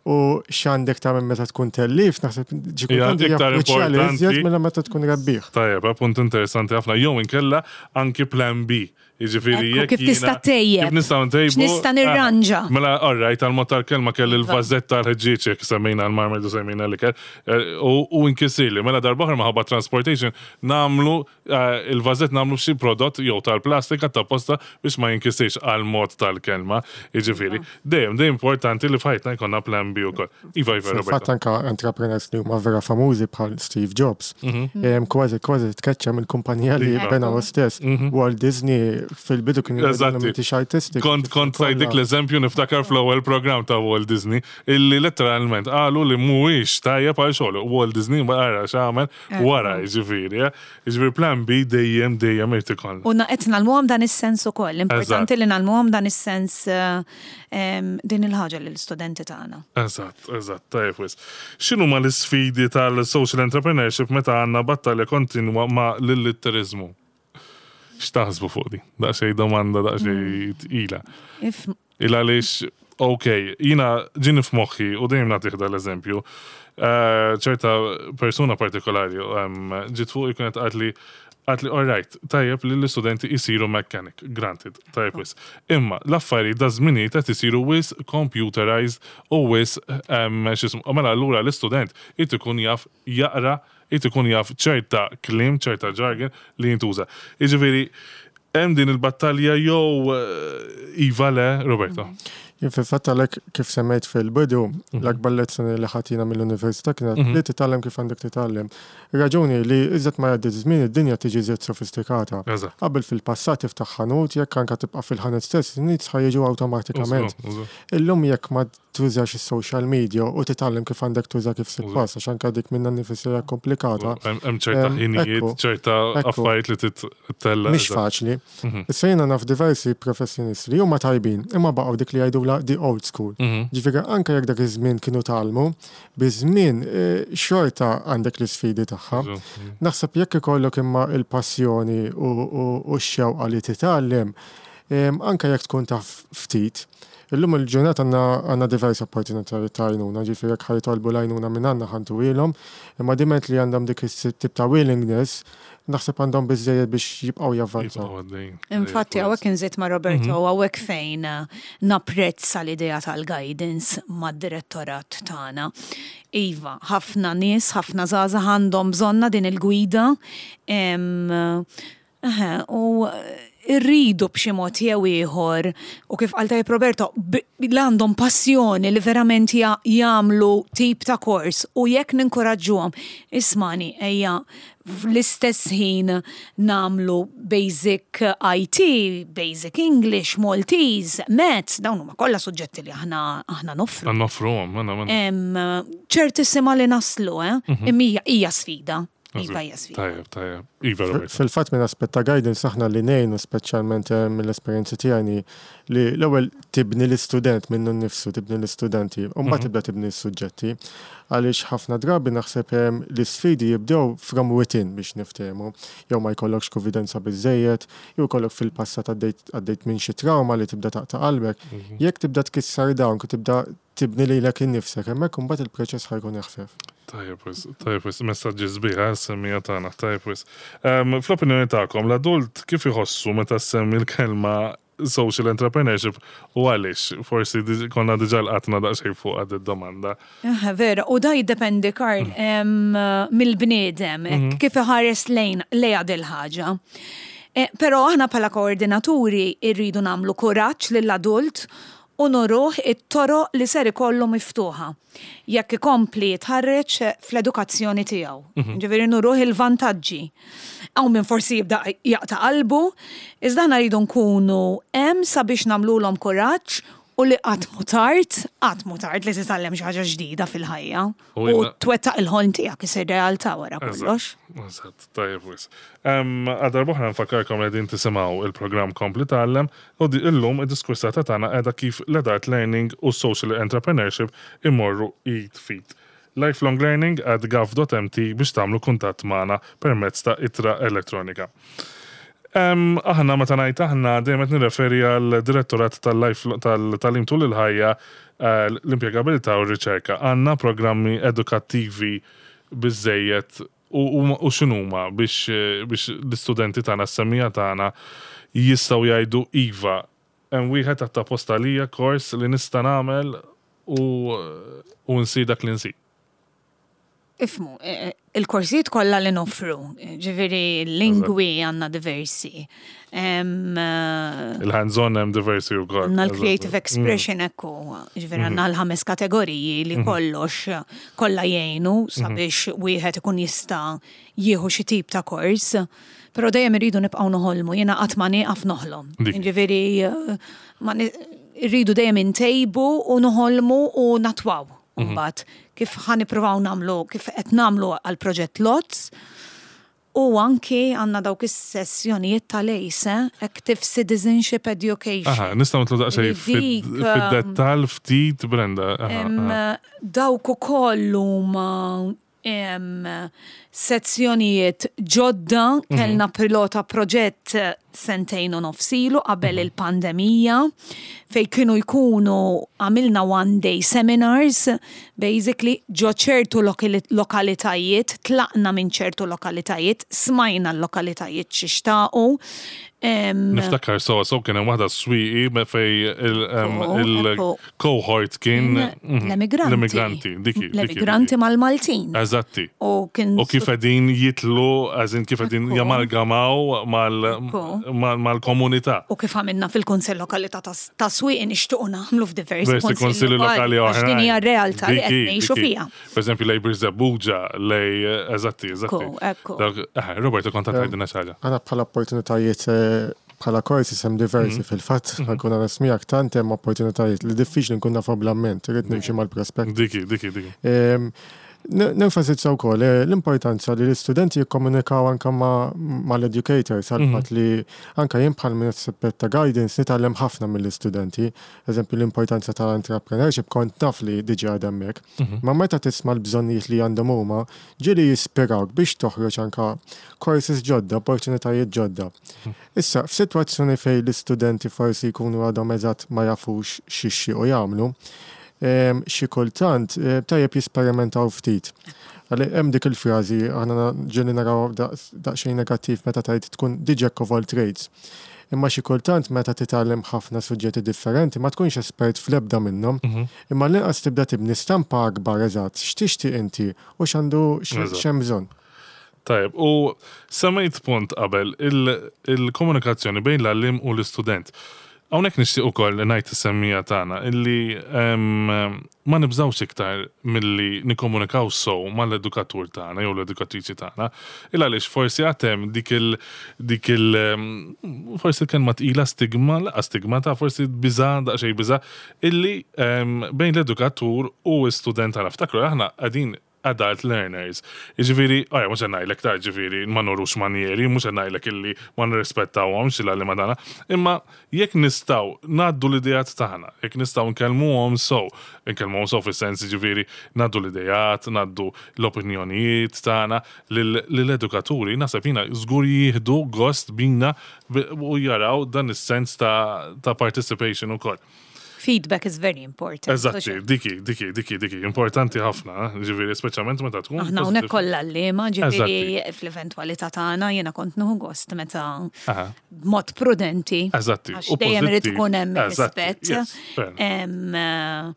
U x'għandek tagħmel meta tkun tellif, naħseb xi Hija kultant hija iktar kruċjali iżjed importanti. mela meta tkun rebbieħ. Tajjeb, punt interessanti ħafna. Jew inkella anki plan B. Jiġifieri Ekku, jekk kif tista' jiena- tejjeb. Kif nistgħu ntejbu. X'nista' nirranġa. Ah, Mela, all right, għal-mod tal-kelma kelli Iva. l-vażett tal-ħġieġ jekk semmejna l-marmalade u semmejna l-ikel. eh, U u inkisirli. Mela darb'oħra minħabba transportation nagħmlu eh, il-vażett nagħmlu xi prodott jew tal-plastika ta' posta biex ma jinkisirx għal-mod tal-kelma. Jiġifieri, dejjem dejjem importanti li f'ħajtna jkollna plan B ukoll. Iva, Iva, Fil-fatt Roberto. anka entrepreneurs li huma vera famużi bħal Steve Jobs. Em, Kważi kważi tkeċċa mill-kumpanija li Iva. bena hu stess. Walt Disney fil-bidu kien Eżatti. m'intix artistic. Kont kont tajt dik l-eżempju niftakar fl-ewwel programm ta' Walt Disney illi letteralment qalu li mhuwiex tajjeb għal xogħol. Walt Disney ma ara x'għamel wara jiġifieri. eh. Jiġifieri plan B dejjem dejjem irid ikollna. U qed ngħallmuhom dan is-sens ukoll. Importanti Eżatt. li ngħallmuhom dan is-sens eh, em, din il-ħaġa lill-istudenti tagħna. Eżatt, eżatt, tajjeb wis. X'inhuma l-isfidi tal-social entrepreneurship meta għandna battalja kontinwa ma' l-illitteriżmu? X'taħsbu fuq di? Daqsxejn domanda, daqsxejn tqila. If Il għaliex, ok, jiena ġini f'moħħi u dejjem nagħtih dal-eżempju, eh, ċerta persuna partikolari em, ġiet fuq kienet qaltli qaltli, all right, tajjeb li l-istudenti jisiru mechanic, granted, tajjeb wis. Imma l-affarijiet da żminijiet qed isiru wisq computerized u wisq em, x'ismu, mela allura l-istudent irid ikun jaf jaqra, irid ikun jaf ċerta kliem, ċerta jargon li jintuża. Jiġifieri, hemm din il-battalja jew eh, iva le, Roberto. Jien fil-fatt għalhekk kif semmejt fil-bidu, l-akbar lezzjoni li ħadna mill-università kienet li titgħallem kif għandek titgħallem. Raġuni li iżjed ma jgħaddi żmien id-dinja tiġi iżjed sofistikata. Eżatt. Qabel fil-passat tiftaħ ħanut jekk anka tibqa' fil-ħanut stess, in-nies ħa jiġu awtomatikament. Użu, użu. Illum jekk ma tużax is-social media u titgħallem kif għandek tuża kif suppost, għax anka dik minnha nnifisha hija komplikata. Hemm hemm ċerta Em, ħinijiet, ekku, ċerta ekku. affarijiet li titella. Mhix faċli. Issa jiena naf diversi professjonisti li huma tajbin, imma baqgħu dik li jgħidula the old school. Ġifieri anke jekk dak iż-żmien kienu tgħallmu, biż-żmien eh, xorta għandek l-isfidi tagħha. Naħseb jekk ikollok imma il-passjoni u, u, u x-xewqa li titgħallem, em, anke jekk tkun taf ftit, Illum il-ġurnata għandna għandna diversi opportunitajiet ta' għajnuna, ġifieri jekk ħa jitolbu l-għajnuna minn għandna ħa ntuhielhom, imma diment li għandhom dik is-tip ta' willingness, naħseb għandhom biżejjed biex jibqgħu javvanzaw. Infatti, hawnhekk inżid ma' Roberto, hawnhekk fejn eh, napprezza l-idea tal-guidance mad-direttorat tagħna. Iva, ħafna nies, ħafna żgħażagħ għandhom bżonna din il-gwida. em, eħe, U irridu b'xi mod jew ieħor u kif qal tajjeb Roberto, b- li għandhom passjoni li verament ja- jagħmlu tip ta' kors u jekk ninkoraġġuhom, ismani ejja fl-istess ħin nagħmlu basic I T, basic English, Maltese, Maths, dawn huma kollha suġġetti li aħna aħna noffru. Noffruhom, mela, mela. Em, ċertissima li naslu, eh? Imma hija hija sfida. Iva hija sfida. Tajjeb, tajjeb. Iva, Roberto. Fil-fatt minn aspett ta' guidance aħna li ngħinu speċjalment eh, mill-esperjenzi tiegħi li l-ewwel tibni l-istudent minnu nnifsu, tibni l-istudenti, u mbagħad tibda tibni s-suġġetti. Għaliex ħafna drabi naħseb eh, l-isfidi jibdew from within biex niftehmu. Jew ma jkollokx konfidenza biżejjed, jew jkollok fil-passat għaddejt għaddejt minn xi trauma li tibda taqta' qalbek. Jekk tibda tkissar dawn, tibda tibni lilek innifsek, hemmhekk imbagħad il-proċess ħa jkun eħfef. Tajjeb wis, tajjeb wis, messaġġi sbieħ, semmija tagħna, tajjeb wis. Em, Fl-opinjoni tagħkom, l-adult kif iħossu meta semmi l-kelma Social Entrepreneurship u għaliex? Forsi diġ- konna diġà lqatna daqsxejn fuq għad id-domanda. Eh, Vera, u da jiddependi, Karl, em, mill-bniedem, hekk kif iħares lejn lejha dil-ħaġa. Eh, Però aħna bħala koordinaturi irridu nagħmlu kuraġġ lill-adult u nuruh it-toroq li ser ikollu miftuħa. Jekk ikompli jitħarreġ fl-edukazzjoni tiegħu. Ġifieri nuruh il-vantaġġi. Hawn min forsi jibda jaqta' qalbu, iżda aħna rridu nkunu hemm sabiex nagħmluhom kuraġġ u li qatt mhu tard, qatt mhu tard li titgħallem xi ħaġa ġdida fil-ħajja. U U jina- twettaq il-ħolm tiegħek isir realtà wara kollox. Eżatt, tajjeb wisq. Għal darb'oħra nfakkarkom li qegħdin tisimgħu il-programm Kompli Tgħallem u di illum id-diskursata tagħna qiegħda kif l-adult learning u social entrepreneurship imorru id f'id. lifelonglearning at gov dot M T biex tagħmlu kuntatt magħna permezz ta' ittra elettronika. Um, aħna meta ngħid aħna dejjem qed nirreferi għal direttorat tal-life tal-tagħlim tul il-ħajja, eh, l-impjegabilità u r-riċerka. Għandna programmi edukattivi biżejjed u, u, u x'inhuma biex, eh, biex l-istudenti tagħna, s-semmiegħa tagħna jistgħu jgħidu iva, hemm wieħed apposta għalija kors li nista' nagħmel u u nsir dak li nsir? Ifhmu, eh, il-korsijiet kollha li noffru, ġifieri lingwi għandna diversi. Em, eh, Il-hands-on hemm diversi wkoll. Għandna l-creative expression ekku, ġifieri għandna l-ħames kategoriji li kollox kollha jgħinu sabiex wieħed ikun jista' jieħu xi tip ta' kors. Però dejjem irridu nibqgħu noħolmu, jiena qatt ma nieqaf noħlom. Dik. Ġifieri eh, ma ni- irridu dejjem intejbu u noħolmu u natwaw. Mbagħad kif ħa nippruvaw nagħmlu, kif qed nagħmlu għal proġett LOTS, u anki għandna dawk is-sessjonijiet tal-ACE, Active Citizenship Education. Aha, nistgħu nidħlu daqsxejn Li dik, um, fid-dettall ftit, Brenda. Aha, Em, aha. Dawk ukoll huma em, sezzjonijiet ġodda, Mhm. kellna pilota proġett sentejn u nofs ilu qabel Mhm. il-pandemija, fej kienu jkunu għamilna one day seminars, basically ġo ċertu lokali- lokalitajiet, tlaqna minn ċertu lokalitajiet, smajna l-lokalitajiet x'ixtaqu. Em, Niftakar so so kien hemm waħda Swieqi me fej il- em, Ekku, il-cohort kien mhm, l-emigranti. L-emigranti, diki. diki, L-emigranti diki. mal-Maltin. Eżatti. U kien U kif qegħdin jitlu, għazin kif qegħdin Ekku. jamalgamaw mal- Ekku. mal- mal-komunità. U kif għamilna fil-Kunsell Lokali ta' ta' Swieqi nixtiequ nagħmlu f'diversi Diversi konsilli lokali għax oħrajn. din hija r-realtà li qed Diki, ngħixu diki. fiha. Per eżempju, lej Birżebbuġa, lej, eżatti, eżatti. Ekku, ekku. Dawk- eh, Roberto, kont tgħidilna xi ħaġa. Għandna bħala opportunitajiet eh, bħala korsi hemm diversi fil-fatt, ħa nkun onest miegħek, tant hemm opportunitajiet li diffiċli nkun nafu bl-amment, irrid nimxi mal-prospekt. Diki, diki, diki. Em, n- Nenfasizza wkoll eh, l-importanza li l-istudenti jikkomunikaw anka ma- mal-educators għal fatt li anka jien bħal minn ta' guidance nitgħallem ħafna mill-istudenti. Eżempju, l-importanza tal-entrepreneurship kont naf li diġà għadha hemmhekk. Ma meta tisma' l-bżonnijiet li għandhom huma, ġieli jispirawk biex toħroġ anka courses ġodda, opportunitajiet ġodda. Issa, f'sitwazzjoni fejn l-istudenti forsi jkunu għadhom eżatt ma jafux x'jixtiequ jagħmlu, em, xi kultant eh, tajjeb jisperimentaw ftit. Għalli hemm dik il-frażi aħna ġieli naraw daqs- daqsxejn negattiv meta tgħid tkun the jack of all trades. Imma xi kultant meta titgħallem ħafna suġġetti differenti ma tkunx espert fl-ebda minnhom, imma l-inqas tibda tibni stampa akbar eżatt x'tixtieq inti u x'għandu Eżatt. x'hemm bżonn. Tajjeb, u semmejt punt qabel, il- il-komunikazzjoni bejn l-għalliem u l-istudent. Hawnhekk nixtieq ukoll ngħid is-semmiegħa tagħna illi em, ma nibżawx iktar milli nikkomunikaw sew mal-edukatur tagħna jew l-edukatriċi tagħna. Il għaliex forsi għad hemm dik il dik il em, forsi kelma tqila stigma, laqa stigma ta' forsi biża' daqsxejn biża' illi em, bejn l-edukatur u l-istudent tagħna. Ftakru, aħna qegħdin adult learners. Ġifieri, għajja, mhux ngħidlek ta' ġifieri, ma nurux manjeri, mhux ngħidlek illi ma nirrispettawhomx il-għalliema tagħna, imma jekk nistgħu ngħaddu l-idejat tagħna, jekk nistgħu nkellmuhom sew, nkellmuhom sew fis-sens ġifieri ngħaddu l-idejat, ngħaddu l-opinjonijiet tagħna lill-edukaturi, naħseb jiena żgur jieħdu gost bina u jaraw dan is-sens ta' ta' participation ukoll. Feedback is very important. Eżatti, diki, diki, diki, diki, importanti ħafna, ġifieri, speċjalment meta tkun. Aħna hawnhekk positive. kollha għalliema, ġifieri fl-eventwalità tagħna jiena kont nieħu gost meta Aha. b'mod prudenti. Eżatti, Għax u dejjem irid pożittiv. ikun hemm Eżatti, rispett. yes, fair. Em, eh,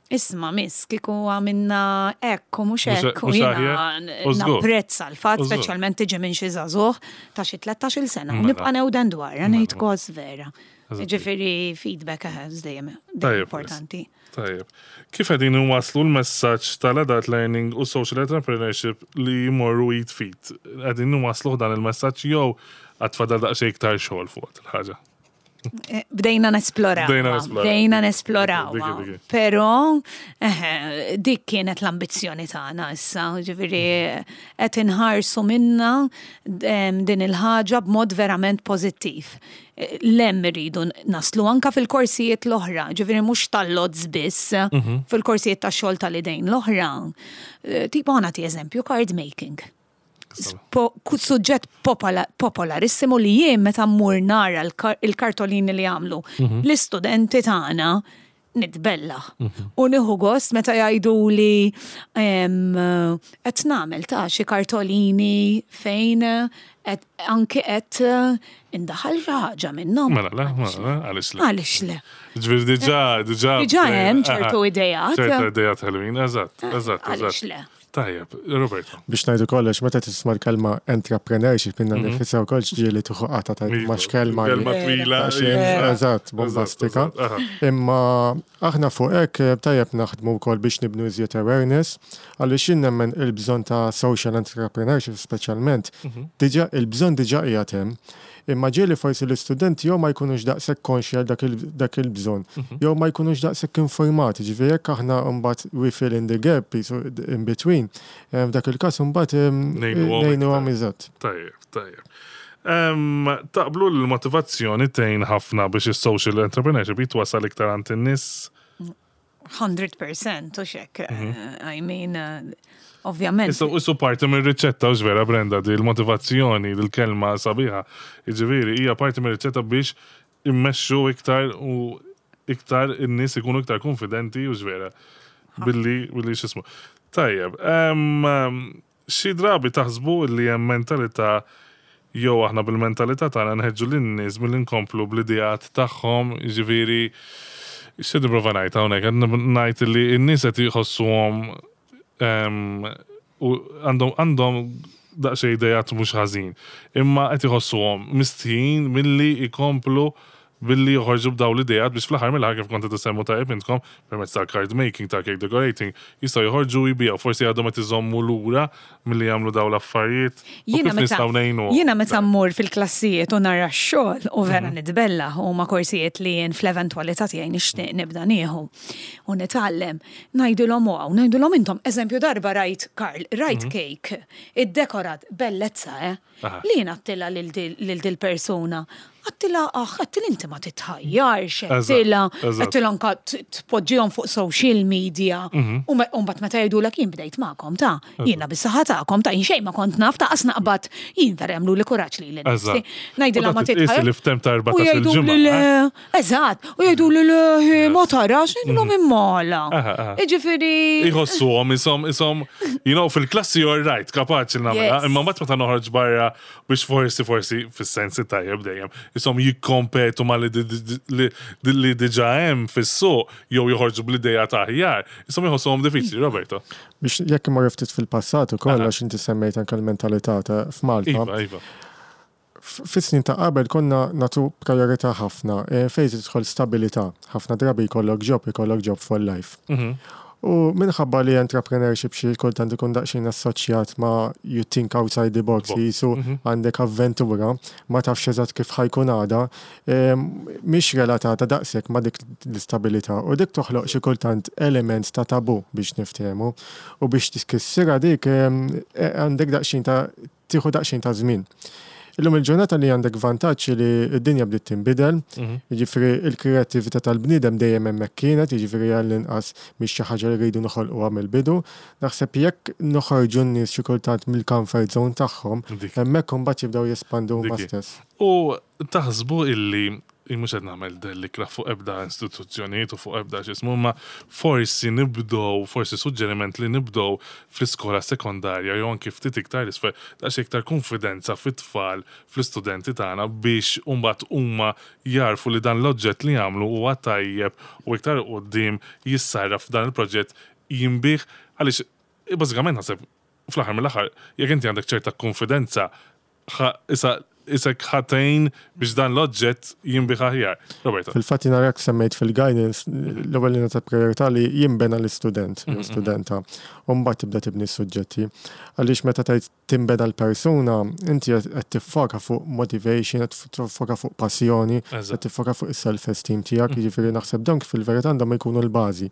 Isma, miss, kieku għamilna hekk u mhux Mhux- hekk u mhux jiena aħjar, u żgur. napprezza l-fatt, U żgur. speċjalment tiġi minn xi żagħżugħ ta' xi tlettax-il sena. U Mela. nibqa' newden dwar, ngħid kos vera. Eżatti. Ġifieri feedback eh, dejjem dejjem Tajjeb, importanti. Tajjeb. Kif qegħdin waslu l-messaġġ tal-adult learning u social entrepreneurship li jmorru id f'id? Qegħdin waslu dan il-messaġġ jew għad fadal daqsxejn iktar xogħol fuq il-ħaġa? Eh, Bdejna nesploraw. Bdejna nesploraw. Bdejna nesploraw. Diki, diki. Però eh, dik kienet l-ambizzjoni tagħna issa, ġifieri qed inħarsu minna em, din il-ħaġa b'mod verament pożittiv. Eh, Lem irridu naslu anka fil-korsijiet l-oħra, ġifieri mhux tal-L O Ds biss, Mhm. fil-korsijiet tax-xogħol tal-idejn l-oħra. Eh, Tipo ħa nagħti eżempju card making po- ku- suġġett popola- popolarissimo li jien meta mmur nara l-kar- il-kartolini li għamlu l-istudenti tagħna nitbella. U nieħu gost meta jgħidu li em, qed nagħmel ta' xi kartolini fejn qed anke qed indaħal xi ħaġa minnhom. Mela le, mela le, għaliex le. Għaliex le? Ġifieri diġà, diġà. Diġà hemm Aha. ċertu ideat. ċertu ideat ħelwin, eżatt, eżatt, Għaliex eżatt. le? Tajjeb, Roberto. Biex ngħidu kollox, meta tisma' l-kelma entrepreneurship minna nifisha wkoll ġieli tieħu qata ta' Iva, ma x'kelma li- Kelma twila. Għaxin, iva. Eżatt, bombastika. Eżatt, aha. Imma aħna fuq hekk eh, tajjeb naħdmu wkoll biex nibnu iżjed awareness, għaliex jien nemmen il-bżonn ta' social entrepreneurship speċjalment, diġà il-bżonn diġà qiegħed hemm. Imma ġieli forsi l-istudenti jew ma jkunux daqshekk konxji għal dak il- dak il-bżonn, jew ma jkunux daqshekk informati, ġifieri jekk aħna mbagħad we fill in the gap jisu in between, eh, f'dak il-każ mbagħad eh, Ngħinuhom ngħinuhom iktar. eżatt. Tajjeb, tajjeb. Em, Taqblu l-motivazzjoni tgħin ħafna biex is-social entrepreneurship jitwasal iktar għand in-nies? mija fil-mija u xek. I mean, eh, ovvjament. Issa issu parti mir-riċetta u vera Brenda di l-motivazzjoni, l-kelma sabiħa. Jiġifieri hija parti mir-riċetta biex immexxu iktar u iktar in-nies ikunu iktar konfidenti u vera billi billi x'ismu. Tajjeb, em, em, xi drabi taħsbu li hemm mentalità jew aħna bil-mentalità tagħna nħeġġu lin-nies milli nkomplu bl-ideat tagħhom, jiġifieri xi nipprova ngħid hawnhekk qed ngħid li n-nies qed jħossuhom em, u għandhom għandhom daqsxejn idejat mhux ħażin, imma qed iħossuhom mistħin milli jkomplu billi joħorġu b'daw l-idejat biex fl-aħħar mill-aħħar kif kont qed isemmu tajjeb intkom permezz tal-card making, tal-cake decorating, jistgħu joħorġu jbiegħu, forsi għadhom qed iżommu lura milli jagħmlu daw l-affarijiet. U Jiena kif meta nistgħu ngħinu? jiena meta mmur fil-klassijiet u nara x-xogħol u vera nitbella huma korsijiet li jien fl-eventwalità tiegħi nixtieq nibda nieħu u nitgħallem. Ngħidulhom wow, ngħidulhom intom eżempju darba rajt Karl, rajt cake, iddekorat bellezza, eh? Aha. Li jien għedtilha lil dil persuna. Għedtilha, aħ, għedtilha inti ma titħajjarx, Eżatt, għedtilha, eżatt. għedtilha anka t- tpoġġihom fuq social media. U me- u mbagħad meta jgħidulek jien bdejt magħkom ta' jiena bis-saħħa tagħkom ta' jien xejn ma kont naf ta' qas naqbad jien vera jagħmlu li kuraġġ li Eżatt. Ngħidilha U ma dak titqis titħajjar. li f'temp ta' U erbatax-il jgħidu ġimgħa, li le, eh? eżatt, u jgħidu li le, ma tarax, ngħidilhom immala. Aha, aha. Jiġifieri. Iħossuhom, isom, isom, you know, fil-klassi you're right, kapaċi nagħmilha, Yes. imma mbagħad meta noħroġ barra biex forsi forsi fis-sensi tajjeb dejjem, isom jikkompetu ma li di- di- li li diġà hemm fis-suq jew joħorġu bl-idea ta' aħjar, isom iħossuhom diffiċli, Roberto. Biex jekk imorru ftit fil-passat ukoll Aha. għax inti semmejt anke l-mentalità ta' f'Malta. Iva, iva. F- Fis-snin ta' qabel konna natu priorità ħafna eh, fejn tidħol stabilità. Ħafna drabi jkollok job, jkollok job for life. Mhm. U minħabba li entrepreneurship xi kultant ikun daqsxejn assoċjat ma' you think outside the box, Box. jisu għandek avventura, ma tafx eżatt kif ħa jkun għada, em, mhix relatata daqshekk ma' dik l-istabilità u dik toħloq xi kultant element ta' tabu biex niftehmu u biex tiskissira dik em, e- għandek daqsxejn ta' tieħu daqsxejn ta' żmien. Illum il-ġurnata li għandek vantaġġ li d-dinja bdiet tinbidel, jiġifieri il-kreattività tal-bniedem dejjem hemmhekk kienet, jiġifieri għall-inqas mhix xi ħaġa li rridu noħolquha mill-bidu. Naħseb jekk noħorġu n-nies xi kultant mill-comfort zone tagħhom, Dik. hemmhekk imbagħad jibdew jespandu huma Dik. stess. U taħsbu illi Mhux qed nagħmel dellikra fuq ebda istituzzjonijiet u fuq ebda x'ismu, ma forsi nibdow, forsi suġġeriment li nibdow fl-iskola sekondarja jew anki ftit iktar isfel, daqs iktar konfidenza fit-tfal fl-istudenti tagħna biex mbagħad huma jarfu li dan l-oġġett li jagħmlu huwa tajjeb u iktar quddiem jissarraf f'dan il-proġett jinbiegħ għaliex bażikament naħseb fl-aħħar mill-aħħar jekk inti għandek ċerta konfidenza issa isek ħatejn biex dan l-oġġett jinbiegħ aħjar. Roberto. Fil-fatt jiena rak semmejt fil-guidance, l-ewwel li ta' priorità li jinbena l-istudent, jew studenta, u mbagħad tibda tibni s-suġġetti. Għaliex meta tgħid tinbena l-persuna, inti qed tiffoka fuq motivation, qed tiffoka fuq passjoni, qed tiffoka fuq is-self-esteem tiegħek, jiġifieri naħseb dawn fil-verità għandhom jkunu l-bażi.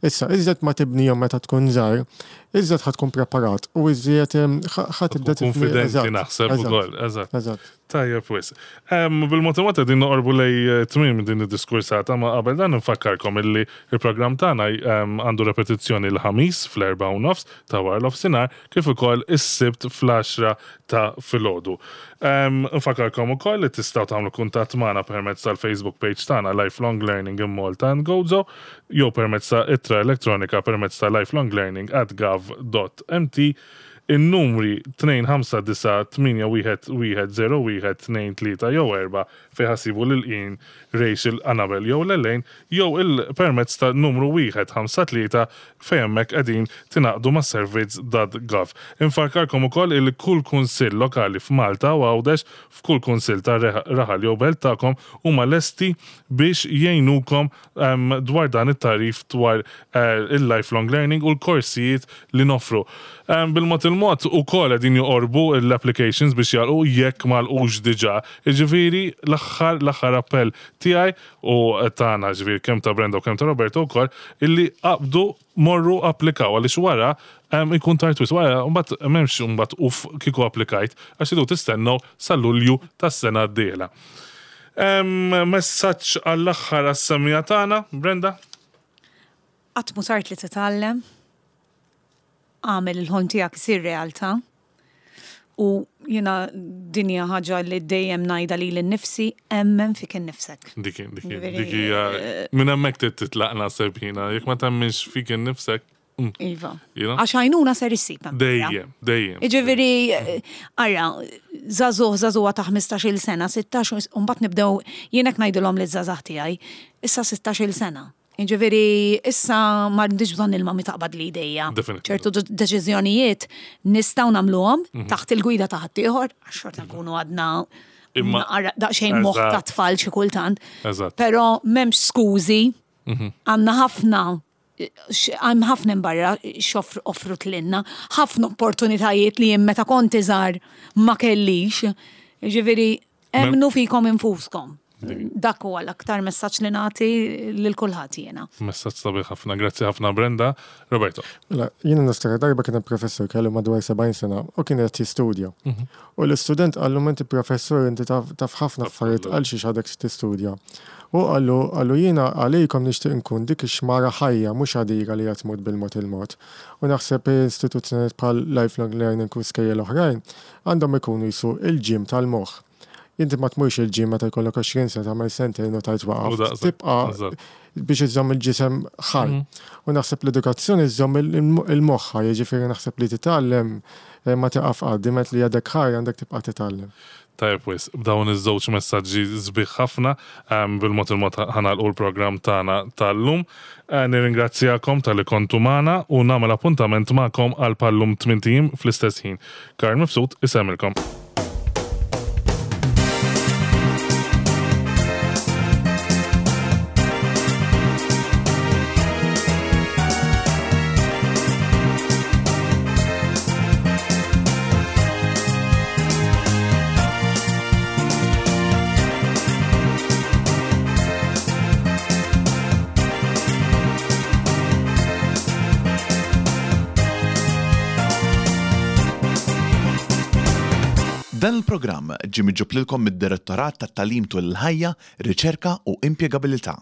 Issa, iżjed ma tibnihom meta tkun żgħar, iżjed ħa tkun preparat u iżjed ħa tibda tibni. Konfidenti naħseb ukoll, eżatt. Tajjeb wisq. Bil-mod il-mod qegħdin noqorbu lejn tmiem din id-diskursata, ma qabel dan nfakkarkom illi il-programm tagħna għandu repetizzjoni l-ħamis fl-erba' u nofs ta' wara l-ofsinhar kif ukoll is-Sibt fl-għaxra ta' filgħodu. Nfakkarkom ukoll li tistgħu tagħmlu kuntatt magħna permezz tal-Facebook page tagħna Lifelong Learning in Malta and Gozo jew permezz ta' ittra elettronika permezz ta' lifelonglearning at gov dot mt. In-numri tnejn ħamsa disa' tmienja wieħed wieħed zero wieħed tnejn tlieta jew erba' fejn ħassibu lil Ian, Rachel, Annabel jew Lelaine jew il-permezz ta' numru wieħed ħamsa tlieta fejn hemmhekk qegħdin tingħaqdu ma' servizz dot gov. Infarkarkom ukoll il kull kunsill lokali f'Malta u Għawdex f'kull kunsill ta' raħal jew belt tagħkom huma lesti biex jgħinukom dwar dan it-tarif dwar il-lifelong learning u l-korsijiet li noffru. Bil-mod il-mod ukoll qegħdin joqorbu l-applications biex jalqu jekk ma lqux diġà. Jiġifieri l-aħħar l-aħħar appell tiegħi u tagħna ġifieri kemm ta' Brenda u kemm ta' Roberto wkoll illi qabdu morru applikaw għaliex wara ikun tard wisq wara mbagħad m'hemmx mbagħad uf kieku applikajt għax idu tistennew sa Lulju tas-sena d-dieħla. Messaġġ għall-aħħar għas-semija tagħna, Brenda? Qatt mhu tard li titgħallem. Għamel il-ħolm tiegħek isir realtà. U jiena din hija ħaġa li dejjem ngħidha lili nnifsi, emmen fik innifsek. Dik, dik, dik hija minn hemmhekk trid titlaq naħseb jiena, jekk ma temminx fik innifsek. Iva. Għax għajnuna ser issib hemm. Dejjem, dejjem. Jiġifieri, ara, żagħżugħ, żagħżugħa ta' ħmistax-il sena, sittax, u mbagħad nibdew jien hekk ngħidilhom liż-żgħażagħ tiegħi, issa sittax-il sena. Jiġifieri, issa m'għandix bżonn il-mami taqbad li idejja. Ċertu deċiżjonijiet nistgħu nagħmluhom taħt il-gwida ta' ħaddieħor, għax xorta nkunu għadna daqsxejn moħħ ta' tfal xi kultant. Però m'hemmx skużi, għandna ħafna hemm ħafna barra x'offru offrut lilna, ħafna opportunitajiet li jien meta kont iżgħar ma kellix. Jiġifieri, emmnu fikom infuskom. Dak huwa l-aktar messaġġ li nagħti lil kulħadd jiena. Messaġġ sabiħ ħafna, grazzi ħafna Brenda. Roberto. Mela, jiena niftakar darba kien hemm professur kellu madwar sebgħin sena u kien qed jistudja. U l-istudent qallu inti professur inti taf ħafna affarijiet għal xiex għadek tistudja. U qallu qallu jiena għalikom nixtieq nkun dik ix-xmara ħajja mhux għadira li qed tmut bil-mod il-mod. U naħseb istituzzjonijiet bħal lifelong learning u skejjel oħrajn għandhom ikunu jisu il-ġim tal-moħħ. Inti ma tmurx il-ġim meta jkollok għoxrin sena tagħmel sentejn u tajt waqaf. Tibqa' biex iżomm il-ġisem ħaj. U naħseb l-edukazzjoni iżomm il-moħħ, jiġifieri naħseb li titgħallem ma tieqaf qatt, diment li għadek ħaj għandek tibqa' titgħallem. Tajjeb wisq, b'dawn iż-żewġ messaġġi sbieħ ħafna, bil-mod il-mod ħanalqu l-programm tagħna tal-lum. Nirringrazzjakom talli kontu magħna u nagħmel appuntament magħkom għal pallum tmien ijiem fl-istess ħin. Karl Mifsud isemmilkom. Dan il-programm ġie miġġub lilkom mid-Direttorat tat-Tagħlim tul il-Ħajja, Riċerka u Impjegabilità.